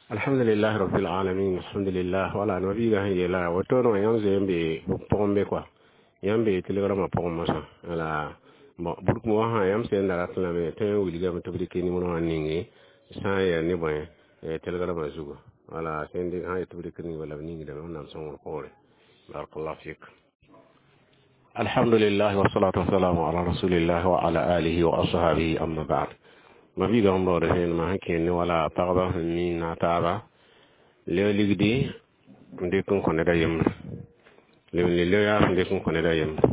Alhamdulillah rabbil alamin, alhamdulillah. Wala no biga han yela woto no yãmb zoe n be pʋgẽ be kɔa, yãmb be telegrama pʋgẽ mosã. Wala bon, burk wã sã yãmb sẽn da rat lame tõe n wilgame tɩ b dɩk nimero wã ninge sã n yaa ne bõe telegrama zugu. Wala sẽn sã n yet tɩ b dɩk ning bala b ningdame. Wẽnnaam sõngr poore. Barakallahu fik. Alhamdulillah, wassalatu wassalamu ala rasulillah wa ala alihi wa ashabihi, amma ba'd. Ma biiga sẽn baood vẽenemã sẽn kẽer ne wala pagba sẽn mi na taaba leo ligdi n dɩk n kõ ned a yembre, leb n le leo yaa sẽn dɩk n kõ ned a yembre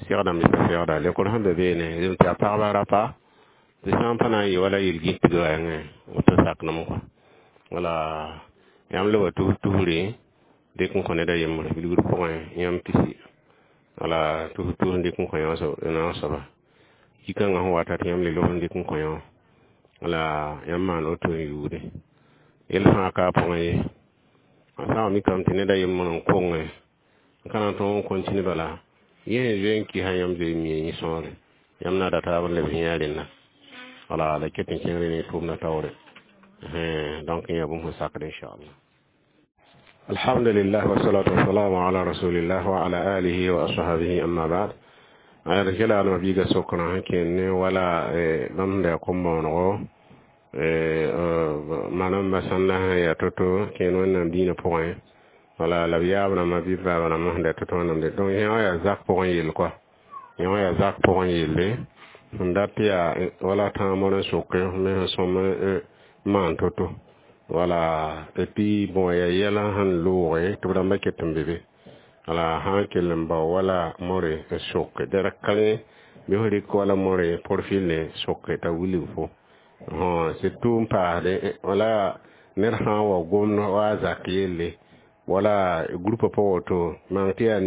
segdame pa segda lekor sẽn be beene zem tɩ yaa pagba rapa tɩ sã n pa na n yɩ wala yel-gĩtga wa yãngẽ woto sakdem kɔa. Wala yãmb leba tus tusre dɩk n kõ ned a yembre bilgd pʋgẽ yãmb pisi, wala tus tus n dɩk n kõ yã soaba ki-kãngã sẽn wata tɩ yãmb le lob n dɩk n kõ yã. Wala yãmb maan woto n yuude yell fãa ka a pʋgẽ ye. A sã n mikame tɩ ned a yembr n konge n ka na n tõog n continue bala yẽ sẽn zoe n kɩsa yãmb zoe n mia yẽ sõore yãmb na da taab n lebs yẽ a rẽnda. Wala la ket n kẽngre ne tʋʋmdã taoore. Donc yã bũmb sẽn sakd, inchallah. Alhamdulillah, wassalatu wassalamu ala rasulillah wa ala alihi wa ashabihi, amma ba'd. Ad kela no biiga sokra sẽn kẽer ne wala bãmb sẽn da kom-bõonego manam sãnda sẽn yaa to-to kẽer Wẽnnaam dĩinã pʋgẽ, wala la b yaab rãmbã bɩ b baaba rãmbã sẽn da to-to Wẽnnaam de. Donc yẽ wã yaa zak pʋgẽ yell kɔa, yẽ wã yaa zak pʋgẽ yelle sẽn dat tɩ yaa wala tãag moar n soke me sẽn sõm n maan to-to. Wala et puis bon, yaa yɛla sẽn looge tɩ b rãmbã ket n be be. Wala sã n kell n bao wala more n soke dɛrk ka rẽ bɩ f rɩk wala more profil ne soke t'a wilg fo surtout n paasde wala ned sã n wa gomd wa a zak yelle wala groupe pʋgẽ woto maan tɩ yaa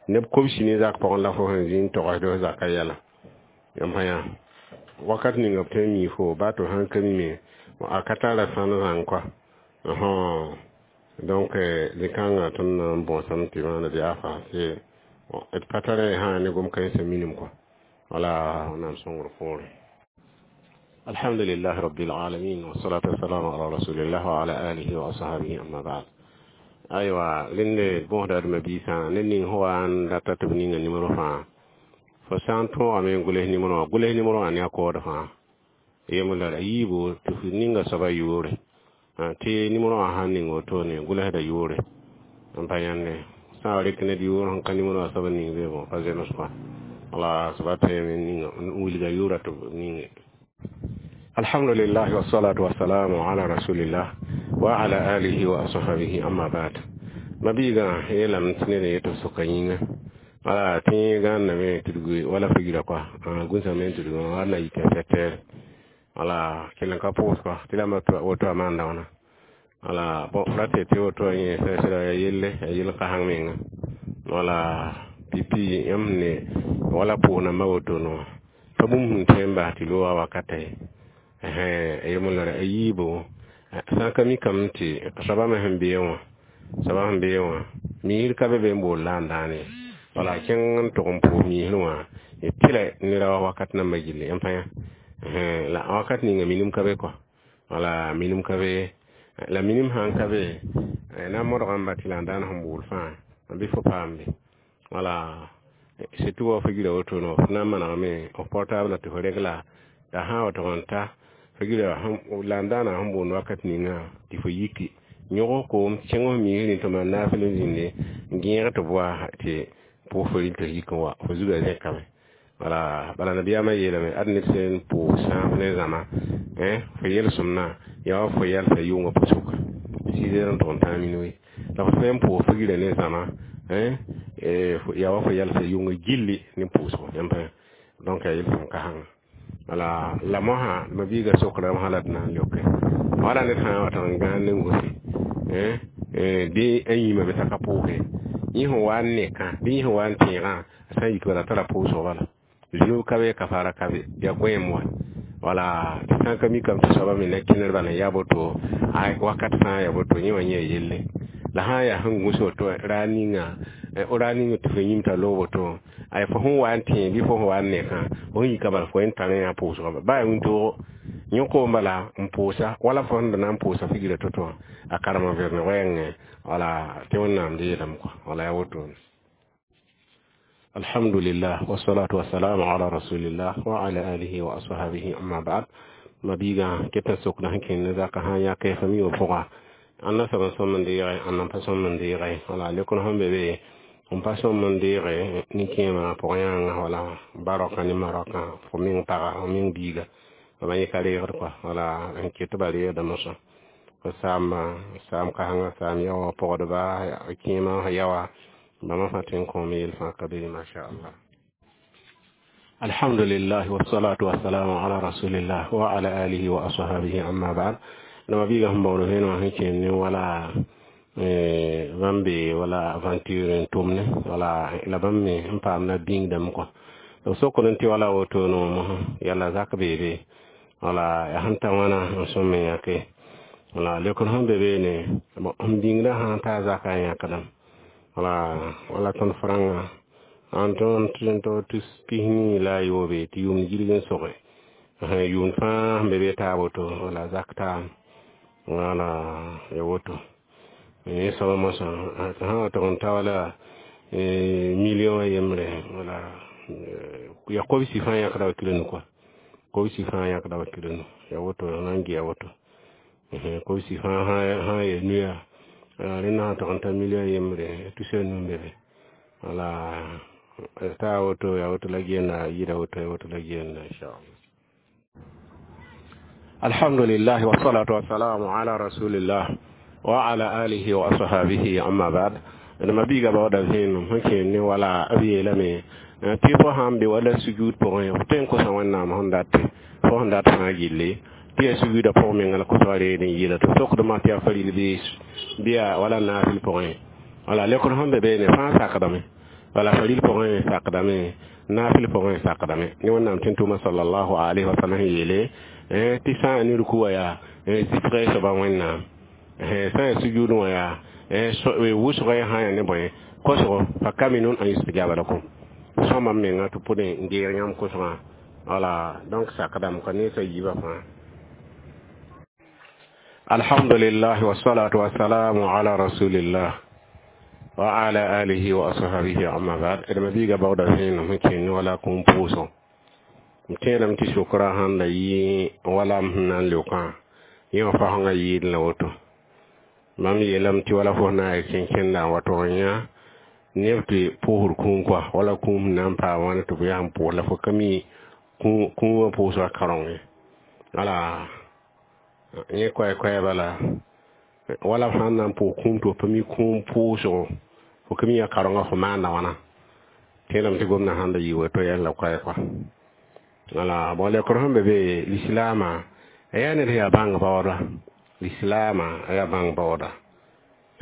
neb kobsi ne zak pʋgẽ la fo sẽn zĩ n togsd f zakã yɛla. Yãmb sã yã wakat ninga b tõe n mii fo baa tɩ f sãn ka mime a ka tara sãn zãng kɔa. Donc zĩ-kãngã tõnd na n bõosame tɩ maana bɩ afa d pa tara sã ne gom-kãensã minim kɔa. Wala Wẽnnaam sõngr poore. Alhamdulillah rabbil alamin, wassalatu wassalamu ala rasulillah wa ala alihi wa ashabihi, amma ba'd. Aywa, rẽnde bõosda d mabiisã ned ning sẽn wa n rata tɩ b ninga nimero fãa, fo sã n tõogame n gʋls nimero wã, gʋls nimero wã ne a kood fãa yembr la a yiibu tɩ f ninga soaba yʋʋre tɩ nimero wã sãn ning wotone gʋlsda yʋʋre n pa yãnde sã n rɩk ned yʋʋr sẽn ka nimero wã soab n ning be. Bon, pa zems kɔa. Wala soaba tõeme ninga n wilga yʋʋra tɩ b ninge. Alhamdulillah, wassalatu wassalamu ala rasulillah wa ala alihi wa ashabihi, amma ba'd. Mabiiga yeelame tɩ ned n yet b soka yĩnga wala tɩ gãnname tudg wala figra kɔa gũsame n tudg wa na yik 7 heures. Wala kell n ka pʋʋs kɔa tɩ rãmba woto a maanda wãna. Wala bon, rate tɩ woto yẽ sɛsra ya yelle ya yel kasãng menga. Wala pipi yãmb ne wala pʋʋs nambã woto no pa bũmb sẽn tõe n bas tɩ loogã wakata ye yemla a yiibo sã n ka mikame tɩ soaba me sẽn bee wã, soaba sẽn bee wã miisr ka be be n bool la n dãane. Wala kẽng n tʋg n pʋʋs miisr wã tɩla nera wakat nambã gilli yãmb pa yã la wakat ninga minim ka be kɔa. Wala minim ka be, la minim sãn ka be na n modgame ba tɩ la n daan sẽn bool fãa bɩ fo paam be. Wala surtout wa fo gira woto no f na n manegame f portable tɩ fo regla t'a sã n wa tʋg n ta fo gira la n daana sẽn boond wakat ninga tɩ fo yiki yõg koom kẽng f miisrẽ tɩ maan naafɩl n zĩnde n gẽeg tɩ b wa tɩ pʋʋs fo rɩl tɩ f yik n wa fo zugã zẽkame. Wala bala nabiyaamã yeelame ad ned sẽn pʋʋs sãaf ne zãma fo yel-sõmnã yaa wa fo yalsa yʋngã pʋsʋka 6 heures n tʋg n tãag minuit la fo sẽn pʋʋs fo gira ne zãma yaa wa fo yalsa yʋngã gilli ne pʋʋsgo yãmb pa. Donc yaa yel-sõm kasãnga. Wala la mosã mabiiga sokra sã la d na n leoke wala ned sã n wa tɩg n gãan ne gose bɩ a yĩmame t'a ka pʋʋse yẽ sẽn wa n nekã bɩ yẽ sẽn wa n tẽegã a sã n yik bala tara pʋʋsg bala zunub ka be, kafaara ka be, yaa goẽem wa. Wala tɩ sã n ka mikame tɩ soaba me na kẽner bala n yaa boto a wakat fãa yaa boto yẽ wã yẽ yelle la sã n yaa sẽn gũs woto raar ninga raar ninga tɩ fo yĩm t'a loog woto ay fo sẽn wa n tẽ bɩ fo sẽn wa n nekã fo sẽn yika bala fo n tar yã pʋʋsgã baa wĩntoogo. Yõ koom bala n pʋʋsa wala fo sẽn da na n pʋʋsa figra to-to wã a karema vẽrne wɛɛngẽ wala tɩ Wẽnnaam deelame kɔa wala yaa wotone. Alhamdulillah, wassalatu wassalamu ala rasulillah wa ala alihi wa ashabihi, amma ba'd. Mabiigã ket n sokda sẽn kẽnd ne zakã sã n yãk fa mi wã pʋga ãnna soab n sõm n deege ãnna n pa sõm n deege wala lekr sẽn be be n pa sõm n deege nin-kẽemã pʋgẽ yãnga wala ba-raokã ne ma-raokã fo meng paga fo meng biiga b yẽ ka reegd kɔa wala n ket tɩ ba reegda mosã fo saamba saam kãsenga saam yaoã pɔgdba kẽemã yaoa bãmba fãa tõe n kõom yel fãa ka be masha Allah. Alhamdulillah, wassalatu wassalamu ala rasulillah wa ala alihi wa ashabihi, amma ba'd. Nama biiga sẽn baood vẽenem wã sẽn kẽnd ne wala bãmb be wala aventure n tʋmne wala la bãmb me n paam na bĩngdame kɔa b sokd n tɩ wala woto noom yala zak beebe wala ya sẽn ta wãna n sõm n yãke wala lekr sẽn be beene n bĩngdã sã n taa zaka n yãkdame wala wala tõnd frãngã an tõnd tɩ tus pis-nii la a yoobe tɩ yʋʋmd gilg n soge yʋʋmd fãa sẽn be be taa woto wala zak taam wala ya woto yẽ soaba mosã sã wa tʋg n ta wala million a yembre wala ya kobsi fãa yãkda wa kirenu kɔa kobsi fãa yãkda wa kirenu ya woto na n gɩ ya woto kobsi fãa sã ya nuya rẽnda sã tʋg n ta million yembre tusa nu n be be wala ta woto ya woto la genda yida woto ya woto la genda inshallah. Alhamdulillah, wassalatu wassalamu ala rasulillah wa ala alihi wa ashabihi, amma ba'd. Ma biiga baooda vẽenem sẽn kẽend ne wala b yeelame tɩ fo sãn be wala sujud pʋgẽ f tõe n kosa Wẽnnaam sẽn dat fo sẽn dat fãa gilli tɩ yaa sujuda pʋg menga la kosga reed n yɩla tɩ sokdmã tɩ yaa faril bɩ yaa wala naafɩl pʋgẽ wala lekr sẽn be beene fãa sakdame wala faril pʋgẽ sakdame naafɩl pʋgẽ sakdame ne Wẽnnaam tẽn tʋʋma sallallahu alaihi wa sallam yeele tɩ sã n ne ruku wã yaa zɩsga soaba Wẽnnaam sã n sujud wã yaa wʋsga sã yaa ne bõe kosgo fa kaminun an yustajaba lakum sõma menga tɩ pʋdẽ n deeg yãmb kosgã wala donc sakdame ka ne sa yiibã fãa. Alhamdulillah, wassalatu wassalamu ala rasulillah wa ala alihi wa ashabihi, amma ba'd. D ma biiga baooda vẽenem sẽn kẽnd wala kũum pʋʋsgo m tẽedame tɩ sʋkrã sãn da yɩ wala m sẽn na n leokã yẽ wã fasẽngã yɩɩd la woto mam yeelame tɩ wala fo na n kẽn-kẽnda n wa tʋg n yã neb tɩ pʋʋsd kũum kɔa wala kũum sẽn na n paam wãna tɩ b yaa n pʋʋs la fo ka mi kũumã pʋʋsgã karõng wala yẽ koɛɛ-koɛɛ bala wala f sãn na n pʋʋs kũum tɩ f pa mi kũum pʋʋsgo fo ka mi yaa karõngã fo maanda wãna tẽedame tɩ gomdã sãn da yɩ woto yɛl la koɛɛ kɔa wala bon lekr sẽn be be lislaamã a yaa ned sẽn yaa bãng baooda lislaamã a yaa bãng baooda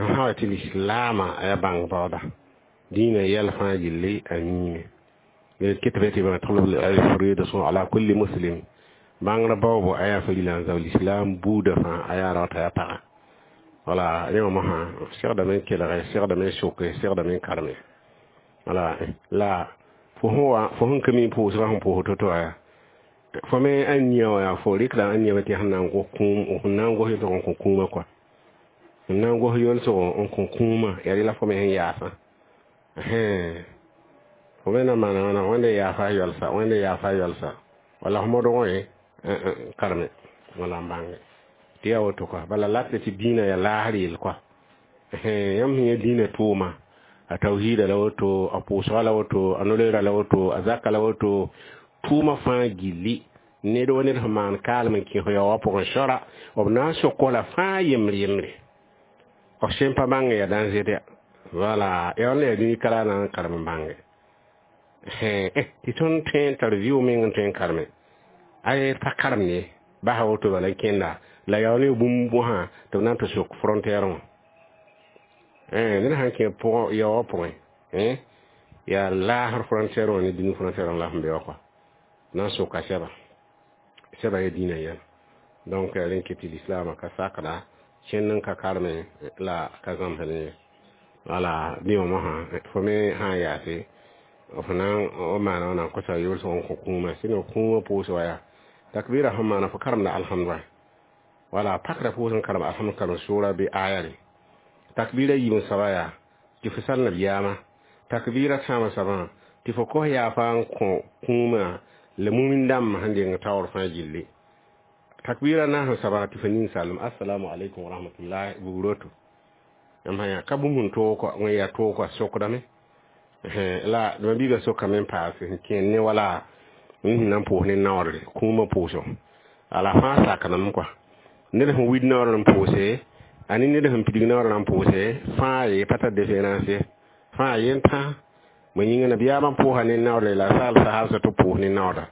n sã wa tɩ lislaamã a yaa bãng baooda dĩinã yɛl fãa gilli a miime ketbe tɩ bãng talab al ala kulli muslim bãngrã baoobo a yaa farila n zao lislaam buudã fãa a yaa raota yaa paga wala yẽ wã mosã segdame n kelge segdame n soke segdame n karme wala la fo sẽn ka mi pʋʋsgã sẽn pʋʋs to-to yaa fo me a nia wã yaa fo rɩkda a nia tɩ sẽn na n gos kũum sẽn na n gos yolsg n kõ kũumã kɔa sẽn na n gos yolsg n kõ kũumã yaa rɩla fo me sẽn yaasã fo me na maana wãna wẽnde yaafa yɔlsa wẽnde yaafa yɔlsa wala fo modg wẽ karme wala n bãnge tɩ yaa woto kɔa bala la tɩ dĩinã yaa laasr yel kɔa yãmb sẽn yã dĩinã tʋʋma a tawhiida la woto a pʋʋsga la woto a no-loeera la woto a zaka la woto tʋʋma fãa gilli ned wa ned sẽn maan kaalem n kẽ fo yaoowã pʋgẽ sora b na n sok la fãa yembre yembre f sẽn pa bãng yaa dãnzed ya wala ya la yaa dũni kara na n karem n bãnge tɩ tõnd tõe n tar vɩʋ meng n tõe n kareme ay pa karem ne basa woto bala n kẽnda la yao ne bũmb bõsã tɩ b na n tɩ sok frontière wã ned sãn kẽ pʋgẽ yaoowã pʋgẽ yaa laasr frontière wã ne dũni frontière wã la sẽn be wã kɔa na n soka sɛba sɛba ya dĩinã yɛla donc rẽn ket tɩ lislaamã ka sakda kẽnd n ka karme la ka zãmsd ye wala bɩ wã mosã fo me sã n yaase f na n maana wã na n kosa yolsg n kõ kũumã sɩd kũumã pʋʋs wa yaa Takbira sẽn maana fo karemda alhamdua, wala pakra pʋʋs n karem alhamd karem sʋʋra bɩ aya re. Takbira yiib n soaba yaa tɩ fo sal nabiyaamã. Takbira tãabã soabã tɩ fo kos yaafa n kõ kũumã la mumin dãmb sẽn deng taoor fãa gilli. Takbira naas n soaba tɩ fo ning salem assalamu alaikum wa rahmatullahi bugroto. Yãmb sã yã ka bũmb sẽn toog kɔa wẽn yaa toog kɔa sokdame la mabiiga sokame n paase sẽn kẽen ne wala n sẽn na n pʋʋs ne naoodre kũumã pʋʋsgo ala fãa sakdame kɔa ned sẽn wid naoodr n pʋʋse a ne ned sẽn pidig naoodr n pʋʋse fãa ye pa tar différence ye fãa yen tã bõe yĩnga nabiyaamã pʋʋsa ne naoodre la saal sahabsã tɩ pʋʋs ne naooda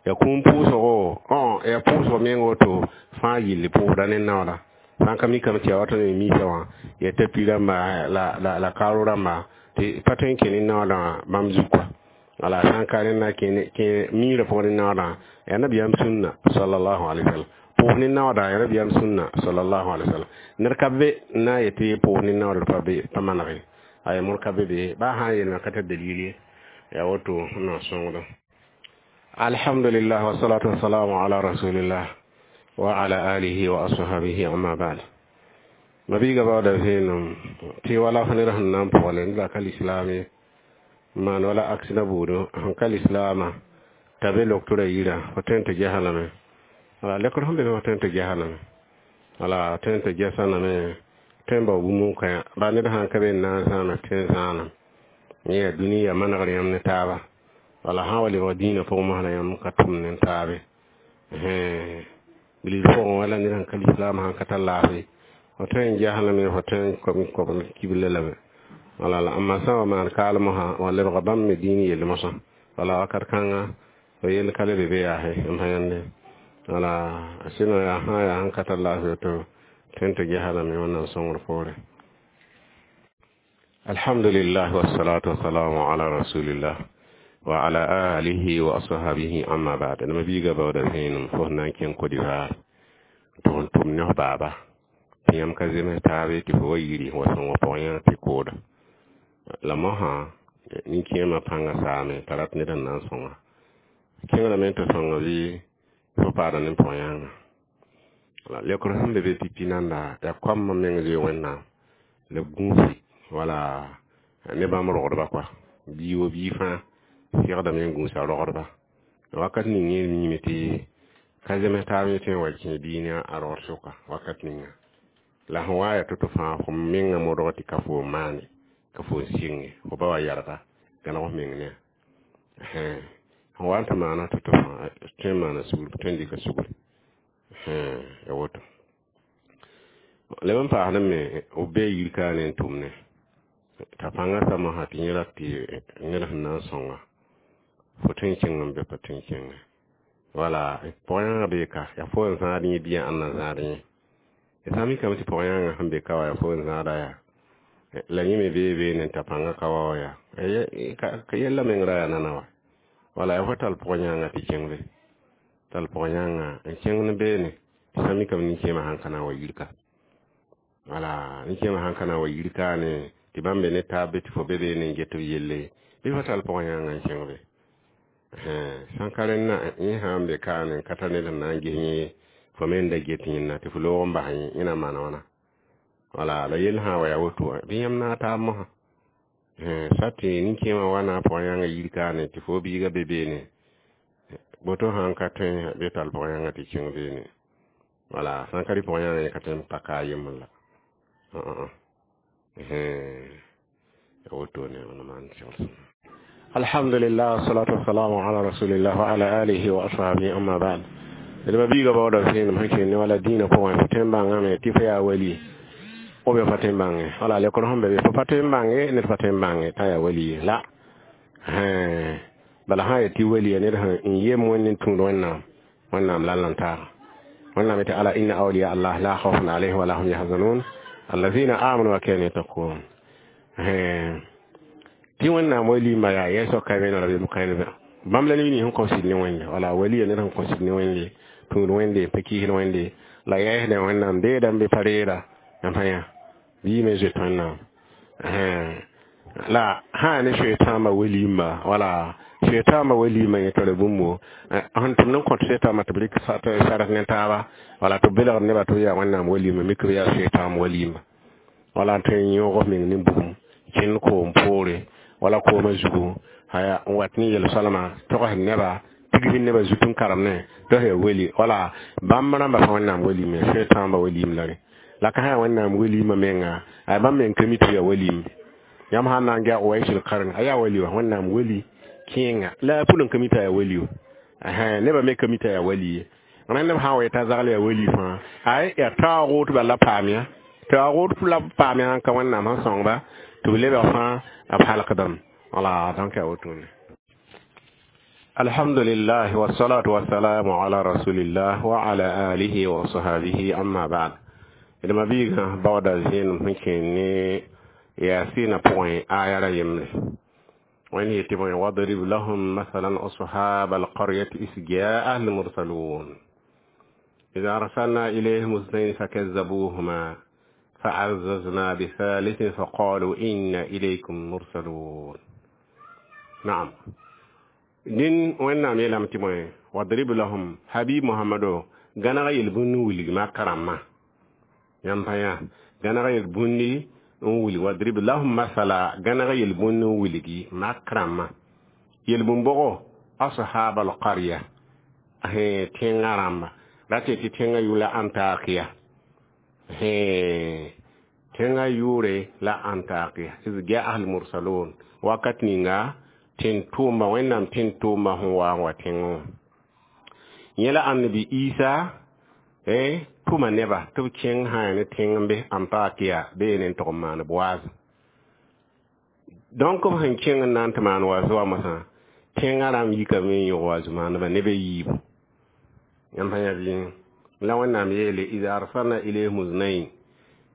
ya kũum pʋʋsgo ya pʋʋsgo meng woto fãa yilli pʋʋsda ne naooda sã n ka mikame tɩ ya wa tõnd me misa wã ya tapi rãmba la karo rãmba tɩ pa tõe n kẽ ne naoodã wã bãmb zug kɔa wala sã n ka rẽnda kẽ miirã pʋgẽ ne naoodã yaa nabiyaam sũnna sallallahu alaihi wasallam pʋʋs ne naooda yaa nabiyaam sũnna sallallahu alaihi wasallam ned ka be n na n yetɩ pʋʋs ne naoodr pa be pa manege ay mor ka be be ba sã n yeelmã ka tar dalil ye yaa woto na sõngdo. Alhamdulillah wassalatu wassalamu ala rasulillah wa ala alihi wa ashabihi amma ba'd. Mabiiga baooda vẽenem tɩ wala fo ned sẽn na n pʋgle ned ka lislaam ye maan wala aksida buudu sẽn ka lislaamã t'a be loktora yirã fo tõe n tɩ gesa lame wala lekr sẽn be fo tõe n tɩ gesa lame wala tõe n tɩ gesa lame tõe n bao bũmb n kõ ba ned sãn ka be n na n zãana tõe n zãanam yẽ yaa dũni yaa manegr yãmb ne taaba wala sã wa lebg dĩinã pʋgẽ mosã la yãmb ka tʋmd ne taabe bilg pʋgẽ wala ned sẽn ka lislaam sãn ka tar laafɩ fo tõe n ges lame fo tõe n kob kibla lame wala la amma sã wa maan kaal mosã wa lebga bãmb me dĩin yell mosã wala wakat kãnga fo yell ka le be be yaase m sã yãnde wala sɩno yaa sã yaa sẽn ka tar laafɩ woto tõe n tɩ gesa lame Wẽnnaam sõngr poore. Alhamdulillah wassalatu wassalamu ala rasulillah wa ala alihi wa ashabihi amma ba'd. Nama biiga baooda vẽenem fo sẽn na n kẽng Côte d'Ivoire tɩ f tʋm ne f baaba tɩ yãmb ka zems taabe tɩ fo wa yiri wa sõng pʋgẽ tɩ kooda la mosã nin-kẽemã pãngã saame t'a rat ned n na n sõnga kẽngrame tɩ sõnga bɩ fo paada ne pʋg-yãnga la lekr sẽn be be pipi nanda yaa koamã meng zoe Wẽnnaam la b gũusi wala ne bãmb rogdba kɔa bii wa bii fãa segdame n gũusa rogdba wakat ning yẽ miime tɩ ka zems taab yẽ tõe n wa kẽ bii ne a rogd sʋka wakat ninga la sẽn wa yaa to-to fãa fo mengã modg tɩ ka fo n maane ka fo n sɩnge fo ba wa yarga gãneg f meng ne sẽn wa n tɩ maana to-to fãa tõe n maana sugr tõe n dɩka sugre ya woto leb n paasd me b bee yir kaane n tʋmne t'a pãngã sa mosã tɩ yẽ rat tɩ ned sẽn na n sõnga fo tõe n kẽng n be pa tõe n kẽnge wala pʋg-yãngã bee ka yaa fo n zãad yẽ bɩa ãnna zãad yẽ ya sã n mikame tɩ pʋg-yãngã sẽn be ka wa yaa fo n zãada yaa la yẽ me bee beene n ta pãngã ka wa wa yaa ka yella meng ra yaa nana wa wala yaa fo tall pʋg-yãngã tɩ kẽng be tall pʋg-yãngã n kẽng ne beene tɩ sã mikame nin-kẽemã sãn ka na n wa yir ka wala nin-kẽemã sãn ka na n wa yir kaane tɩ bãmb be ne taab be tɩ fo be beene n get b yelle bɩ fo tall pʋg-yãngã n kẽng be sãn ka rẽnna yẽ sã n be kaane n ka tar ned sẽn na n ges yẽ fo me n da get yẽnna tɩ fo loog n bas yẽ na n maana wãna wala la yell sã n wa yaa woto bɩ yãmb naag taab mosã sat tɩ nin-kẽemã wa na pʋg-yãngã yir kaane tɩ fo biiga be beene boto sãn ka tõe bɩ tall pʋg-yãngã tɩ kẽng beene wala sãn ka rɩ pʋg-yãngã yẽ ka tõe n pa ka a yembr la ya woto ne wãna maan segl. Alhamdulillah wassalatu wassalamu ala rasulillah wa ala alihi wa ashabihi amma ba'd. D ma biiga baooda vẽenem sẽn kẽnd ne wala dĩinã pʋgẽ fo tõe n bãngame tɩ fo yaa wali ou bien fo tõe n bãnge wala lekr sẽn be be fo pa tõe n bãnge ned pa tõe n bãnge t'a yaa wali ye la bala sã n yaa tɩ wali ya ned sẽn n yem Wẽnd n tũud Wẽnnaam Wẽnnaam la n taaga Wẽnnaam yetɩ ala inna awliya allah la khawfun alayhim wala hum yahzanun allazina amanu wa kanu yattaqun tɩ Wẽnnaam walima yaa yɛ soka me ra bem kãenbe bãmb la neb nins sẽn kõ sɩd ne Wẽnde wala wali ya ned sẽn kõ sɩd ne Wẽnde tũud Wẽnde pa kiisd Wẽnde la yɛɛsdã Wẽnnaam deedã n be pa reera yãmb sã yã bii me zoet Wẽnnaam La sã ne soetãambã walimba, wala soetãambã walima yẽ tara bũmbo sẽn tʋmd n kõt soetãambã tɩ b rɩk sark ne taaba, wala tɩ b belgd nebã tɩ b yaa Wẽnnaam walima, mik b yaa soetãamb walimba, wala n tõe n yõog f meng ne bugum kẽnd koom poore wala koomã zugu haya n wat ne yel-soalma togsd neba tigsd nebã zut n karemdẽ tɩ f yaa weli, wala bãmb rãmbã fãa Wẽnnaam walime, soetãambã walim la rẽ la ka sã yaa Wẽnnaam walimã menga a bãmb meng ka mi tɩ b yaa walim. Yãmb sã n na n gɛg Waisul Karn a yaa wali wa, Wẽnnaam wali kẽenga la a pʋl n ka mi t'a yaa wali wa, nebã me ka mi t'a yaa wali ye. Rẽnd b sã n wa yetã zagl yaa wali fãa ay yaa taoog tɩ bala la paam ya taoog la paam ya sãn ka Wẽnnaam sẽn sõngba tɩ b lebg fãa b halkdame, wala. Donc yaa wotone. Alhamdulillah, wassalatu wassalamu ala rasulillah wa ala alihi wa sahbihi, amma ba'd. D mabiigã baooda zẽenem sẽn kẽ ne yaasɩnã pʋgẽ aya ra yembre. Wẽnd yetɩ bõe? Wadrib lahum masalan ashab alqaryati is jaa almursalun إذا أرسلنا إليهم اثنين فكذبوهما فعززنا بثالث فقالوا إنا إليكم مرسلون. نعم، din wẽnnaam yeelame tɩ bõe? Wadrib lahum, habib Mohamado, gãneg yel-bũnd n wilg makã rãmbã. Yãmb pa yã gãneg yel-bũndi n wilg. Wadrib lahum masala, gãneg yel-bũnd n wilgi mak rãmbã. Yel-bũn-bʋgo? Ashab alqarya, tẽngã rãmba ra tɩ tɩ tẽngã yʋ la Antakiya, tẽngã yʋʋre la Antakiya. Iz jaa almursalun, wakat ninga tẽn-tʋʋmba, Wẽnnaam tẽn-tʋʋmba sẽn wa n wa tẽngẽ wã. Yẽ la Annabi Isa tʋma neba tɩ b kẽng sã ne tẽng n be Antakiya beene n tʋg n maan b waaz. Donc b sẽn kẽng n na n tɩ maan waaz wa mosã, tẽngã rãmb yikame n yõg waaz maandbã neb a yiibu. Yãmb sã yã bɩ la Wẽnnaam yeele ida arsalna ilayhim znain,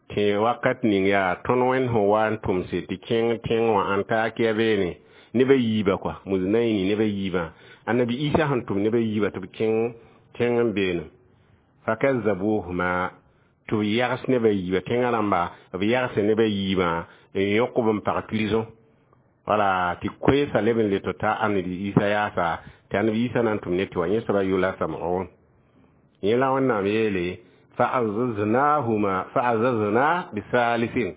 tɩ wakat ning yaa tõnd Wẽnd sẽn wa n tʋmse tɩ kẽng tẽng wã Antakiya beene neb a yiibã kɔa muznaini, neb a yiibã. Annabi Isa sẽn tʋm neb a yiibã tɩ b kẽng tẽng n beene, fakazabuhuma, tɩ b yags neb a yiibã, tẽngã rãmba b yagse neb a yiibã n yõk b n pag prison, wala tɩ koeesa leb n le tɩ ta Annabi Isa yaasa, tɩ Annabi Isa na n tʋm ne tɩ wa yẽ soaba yʋla Sam'un. Yẽ la Wẽnnaam yeele fa'azaznahuma fa'azazna bisalisin,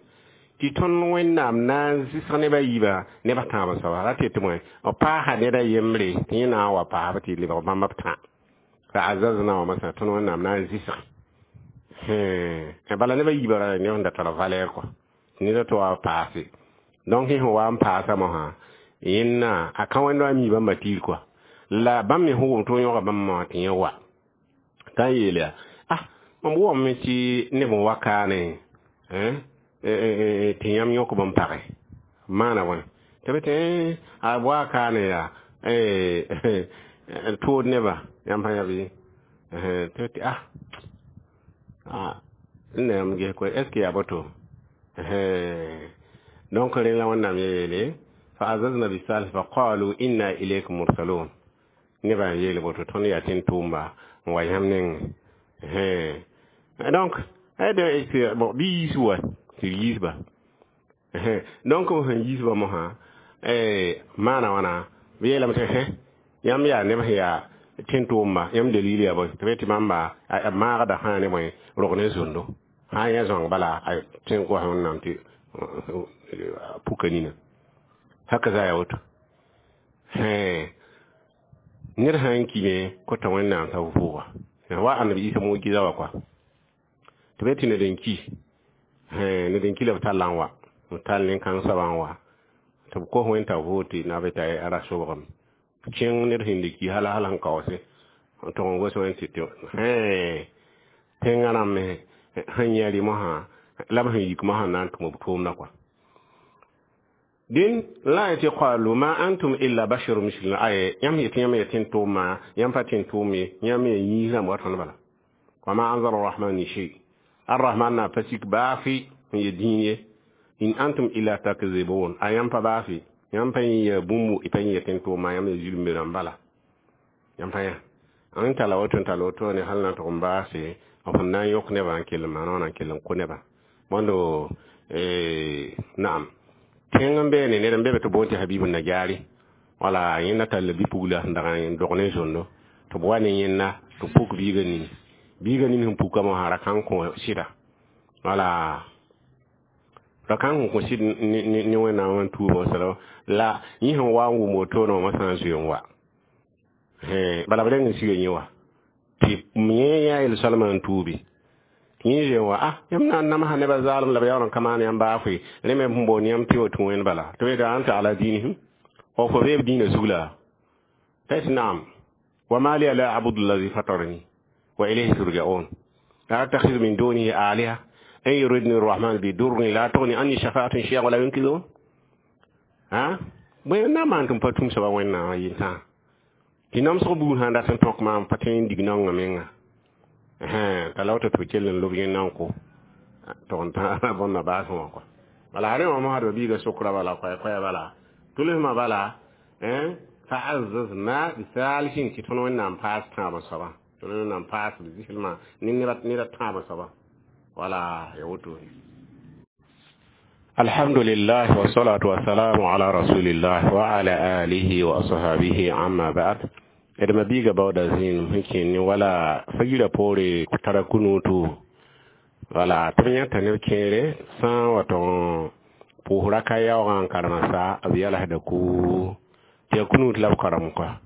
tɩ tõnd Wẽnnaam na n zɩsg neb a yiibã neb a tãab soaba ra tɩ tɩ bõe b paasa ned a yembre tɩ yẽ na n wa paasb tɩ lebg bãmb b tã. Fa'azazna wa masã, tõnd Wẽnnaam na n zɩsg bala neb a yiibã ra neb sẽn da tar valɛɛr kɔ ned tɩ wa paase. Donc yẽ sẽn wa n paasa mosã, yẽnna a ka wẽnd wa mi bãmba tiir kɔa la bãmb me sẽn wʋm tɩ yõga bãmb wã tɩ yẽ wa t'a n yeel yaa ah mam wʋgame tɩ neb n wa kaane tɩ yãmb yõk b n page maana wãne tɩ b tɩ a wa kaane yaa tʋʋd nebã. Yãmb sã yã bɩ tɩ tɩ ah n na yãmb ges koe, est ce que yaa boto? Donc rẽ la Wẽnnaam yeele fa azazna bisalis fa qalu inna ilaykum mursalun, nebã n yeel boto tõnd yaa tẽn-tʋʋmba n wa yãmb nengẽ. Donc bon bɩ yiis wa tɩ d yiisba. Donc b sẽn yiisba mosã maana wãna b yeelame tɩ yãmb yaa neb sẽn yaa tẽn-tʋʋmba, yãmb dalil yaa bõe? Tɩ b tɩ bãmba b maagda sã ne bõe rog ne zondo sã n yã zãong bala a tẽn kos Wẽnnaam tɩ puka nina haka za ya woto. Ned sã n kime kota Wẽnnaam t'a vʋʋga wa Annabi Isa mujiza wa kɔa tɩ b tɩ ned n ki, ned n ki la b talla n wa b tall nin-kãng soabã n wa tɩ b kos Wẽn t'a vʋʋg tɩ na be t'a ra sobgame kẽng ned sẽn ki hala hal sẽn kaoose n tʋg n gos Wẽn tɩ tẽngã rãmb sẽn yã rɩ mosã la b sẽn yik mosã na n tʋm b tʋʋmdã kɔa. Dĩn la yetɩ qalu ma antum illa basharu misluna, aye yãmb yetɩ yãmb ya tẽn-tʋʋmã, yãmb pa tẽn-tʋʋm ye, yãmb ya yĩns rãmb wa tõnd bala. Wa ma anzala arrahman min shay, arrahman na pa sik baafi n ye dĩin ye. In antum illa takzibun, a yãmb pa baafi, yãmb pa yẽ ya bũmbu, y pa yẽ ya tẽn-tʋʋmã, yãmb ya zulmbe rãmb bala. Yãmb pa yã n tala woto n tala woto ne hal na tʋg n baase b sẽn na n yõk nebã n kell n maan wãna n kell n kõ nebã bõndo. Naam. Tẽng n beene ned n be be tɩ boond tɩ Habibu Najari. Wala yẽnda tall bi-pugla sẽn dag n dog ne zondo tɩ b wa ne yẽnda tɩ puk biigã nini. Biigã nin sẽn puka mosã ra kãng kõ sɩda. Wala ra kãng sẽn kõ sɩd ne Wẽnnaam n tuubã sala la yẽ sẽn wa n wʋm wotone wã moasã n zoe n wa. Bala b reng n siga yẽ wa. Tɩ yẽ yaa yel-soalmã n tuubi. Yẽ zoe n wa, ah, yãmb na n namsa nebã zaalem la b yaool n ka maan yãmb baafʋɩ. Rẽ me sẽn boond yãmb tɩ wa tũ wẽnd bala. Tɩ b yeeta anta ala diinihim. Fo fo beeb dĩinã zug la? T'a yetɩ naam. Wa ma liya la abudu allazi fatarani wa ilayhi turja'un. La attakhidhu min dunihi aliha in yuridni arrahman bi durrin la tughni anni shafa'atun shay'an wa la yunkidhun. Ha? Bõe n na n maan tɩ m pa tũm soaba Wẽnnaam a yel-sã? Tɩ namsg buud sã n dat n tõk maam pa tõe n dig naongã menga. T'a la woto tɩ b kell n lob yẽnda n kʋ. Tɩ n tã bõnda baasẽ wã kɔa. Bala rẽ wã mosã d biiga sokra bala koɛ-koɛɛ bala. Tʋlsmã bala, fa'azzazna bi thalithin tɩ tõnd Wẽnnaam paas tãabã soabã. Tõnd Wẽnnaam paas b zɩslmã ne ned a tãabã soabã. Wala ya woto. Alhamdulillah wa salatu wa salamu ala rasulillah wa ala alihi wa ashabihi amma ba'd. D ma biiga baooda zĩig sẽn kẽen ne wala fagira poore tara kunutu. Wala tɩ b yãta neb kẽere sã n wa tɩ pʋʋs raka yaoogã n karema sa b yalsda ku tɩ yaa kunut la b karem kɔa.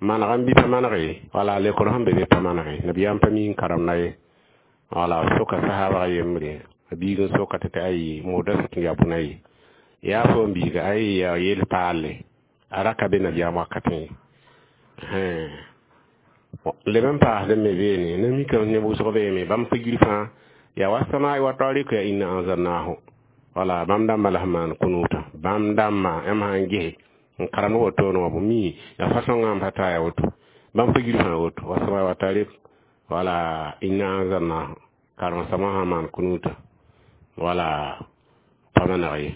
Maneg n bɩ pa maneg wala lekr sẽn be be pa manege nabiyaam pa mi n karemda ye. Wala b soka sahaabg yembre a biig n soka tɩ tɩ ayi moodã sɩk n yaa bũna ye. Yaa fo n biiga ayi yaa yel paalle a raka be nabiyaam wakatẽ ye. Leb n paasd me beene na mikame neb wʋsg beeme bãmb figr fãa yaa wa samaai wa tarik ya inna anzalnahu. Wala bãmb dãmbã la sẽn maan kunuutã. Bãmb dãmbã yãmb sã n ges n karemd wotone wã bõ mi yaa fasõngã n pa taa ya woto. Bãmb figr fãa woto wa samaai wa tarik wala inna anzalnahu karem soabã sã n maan kunuutã. Wala pa maneg ye.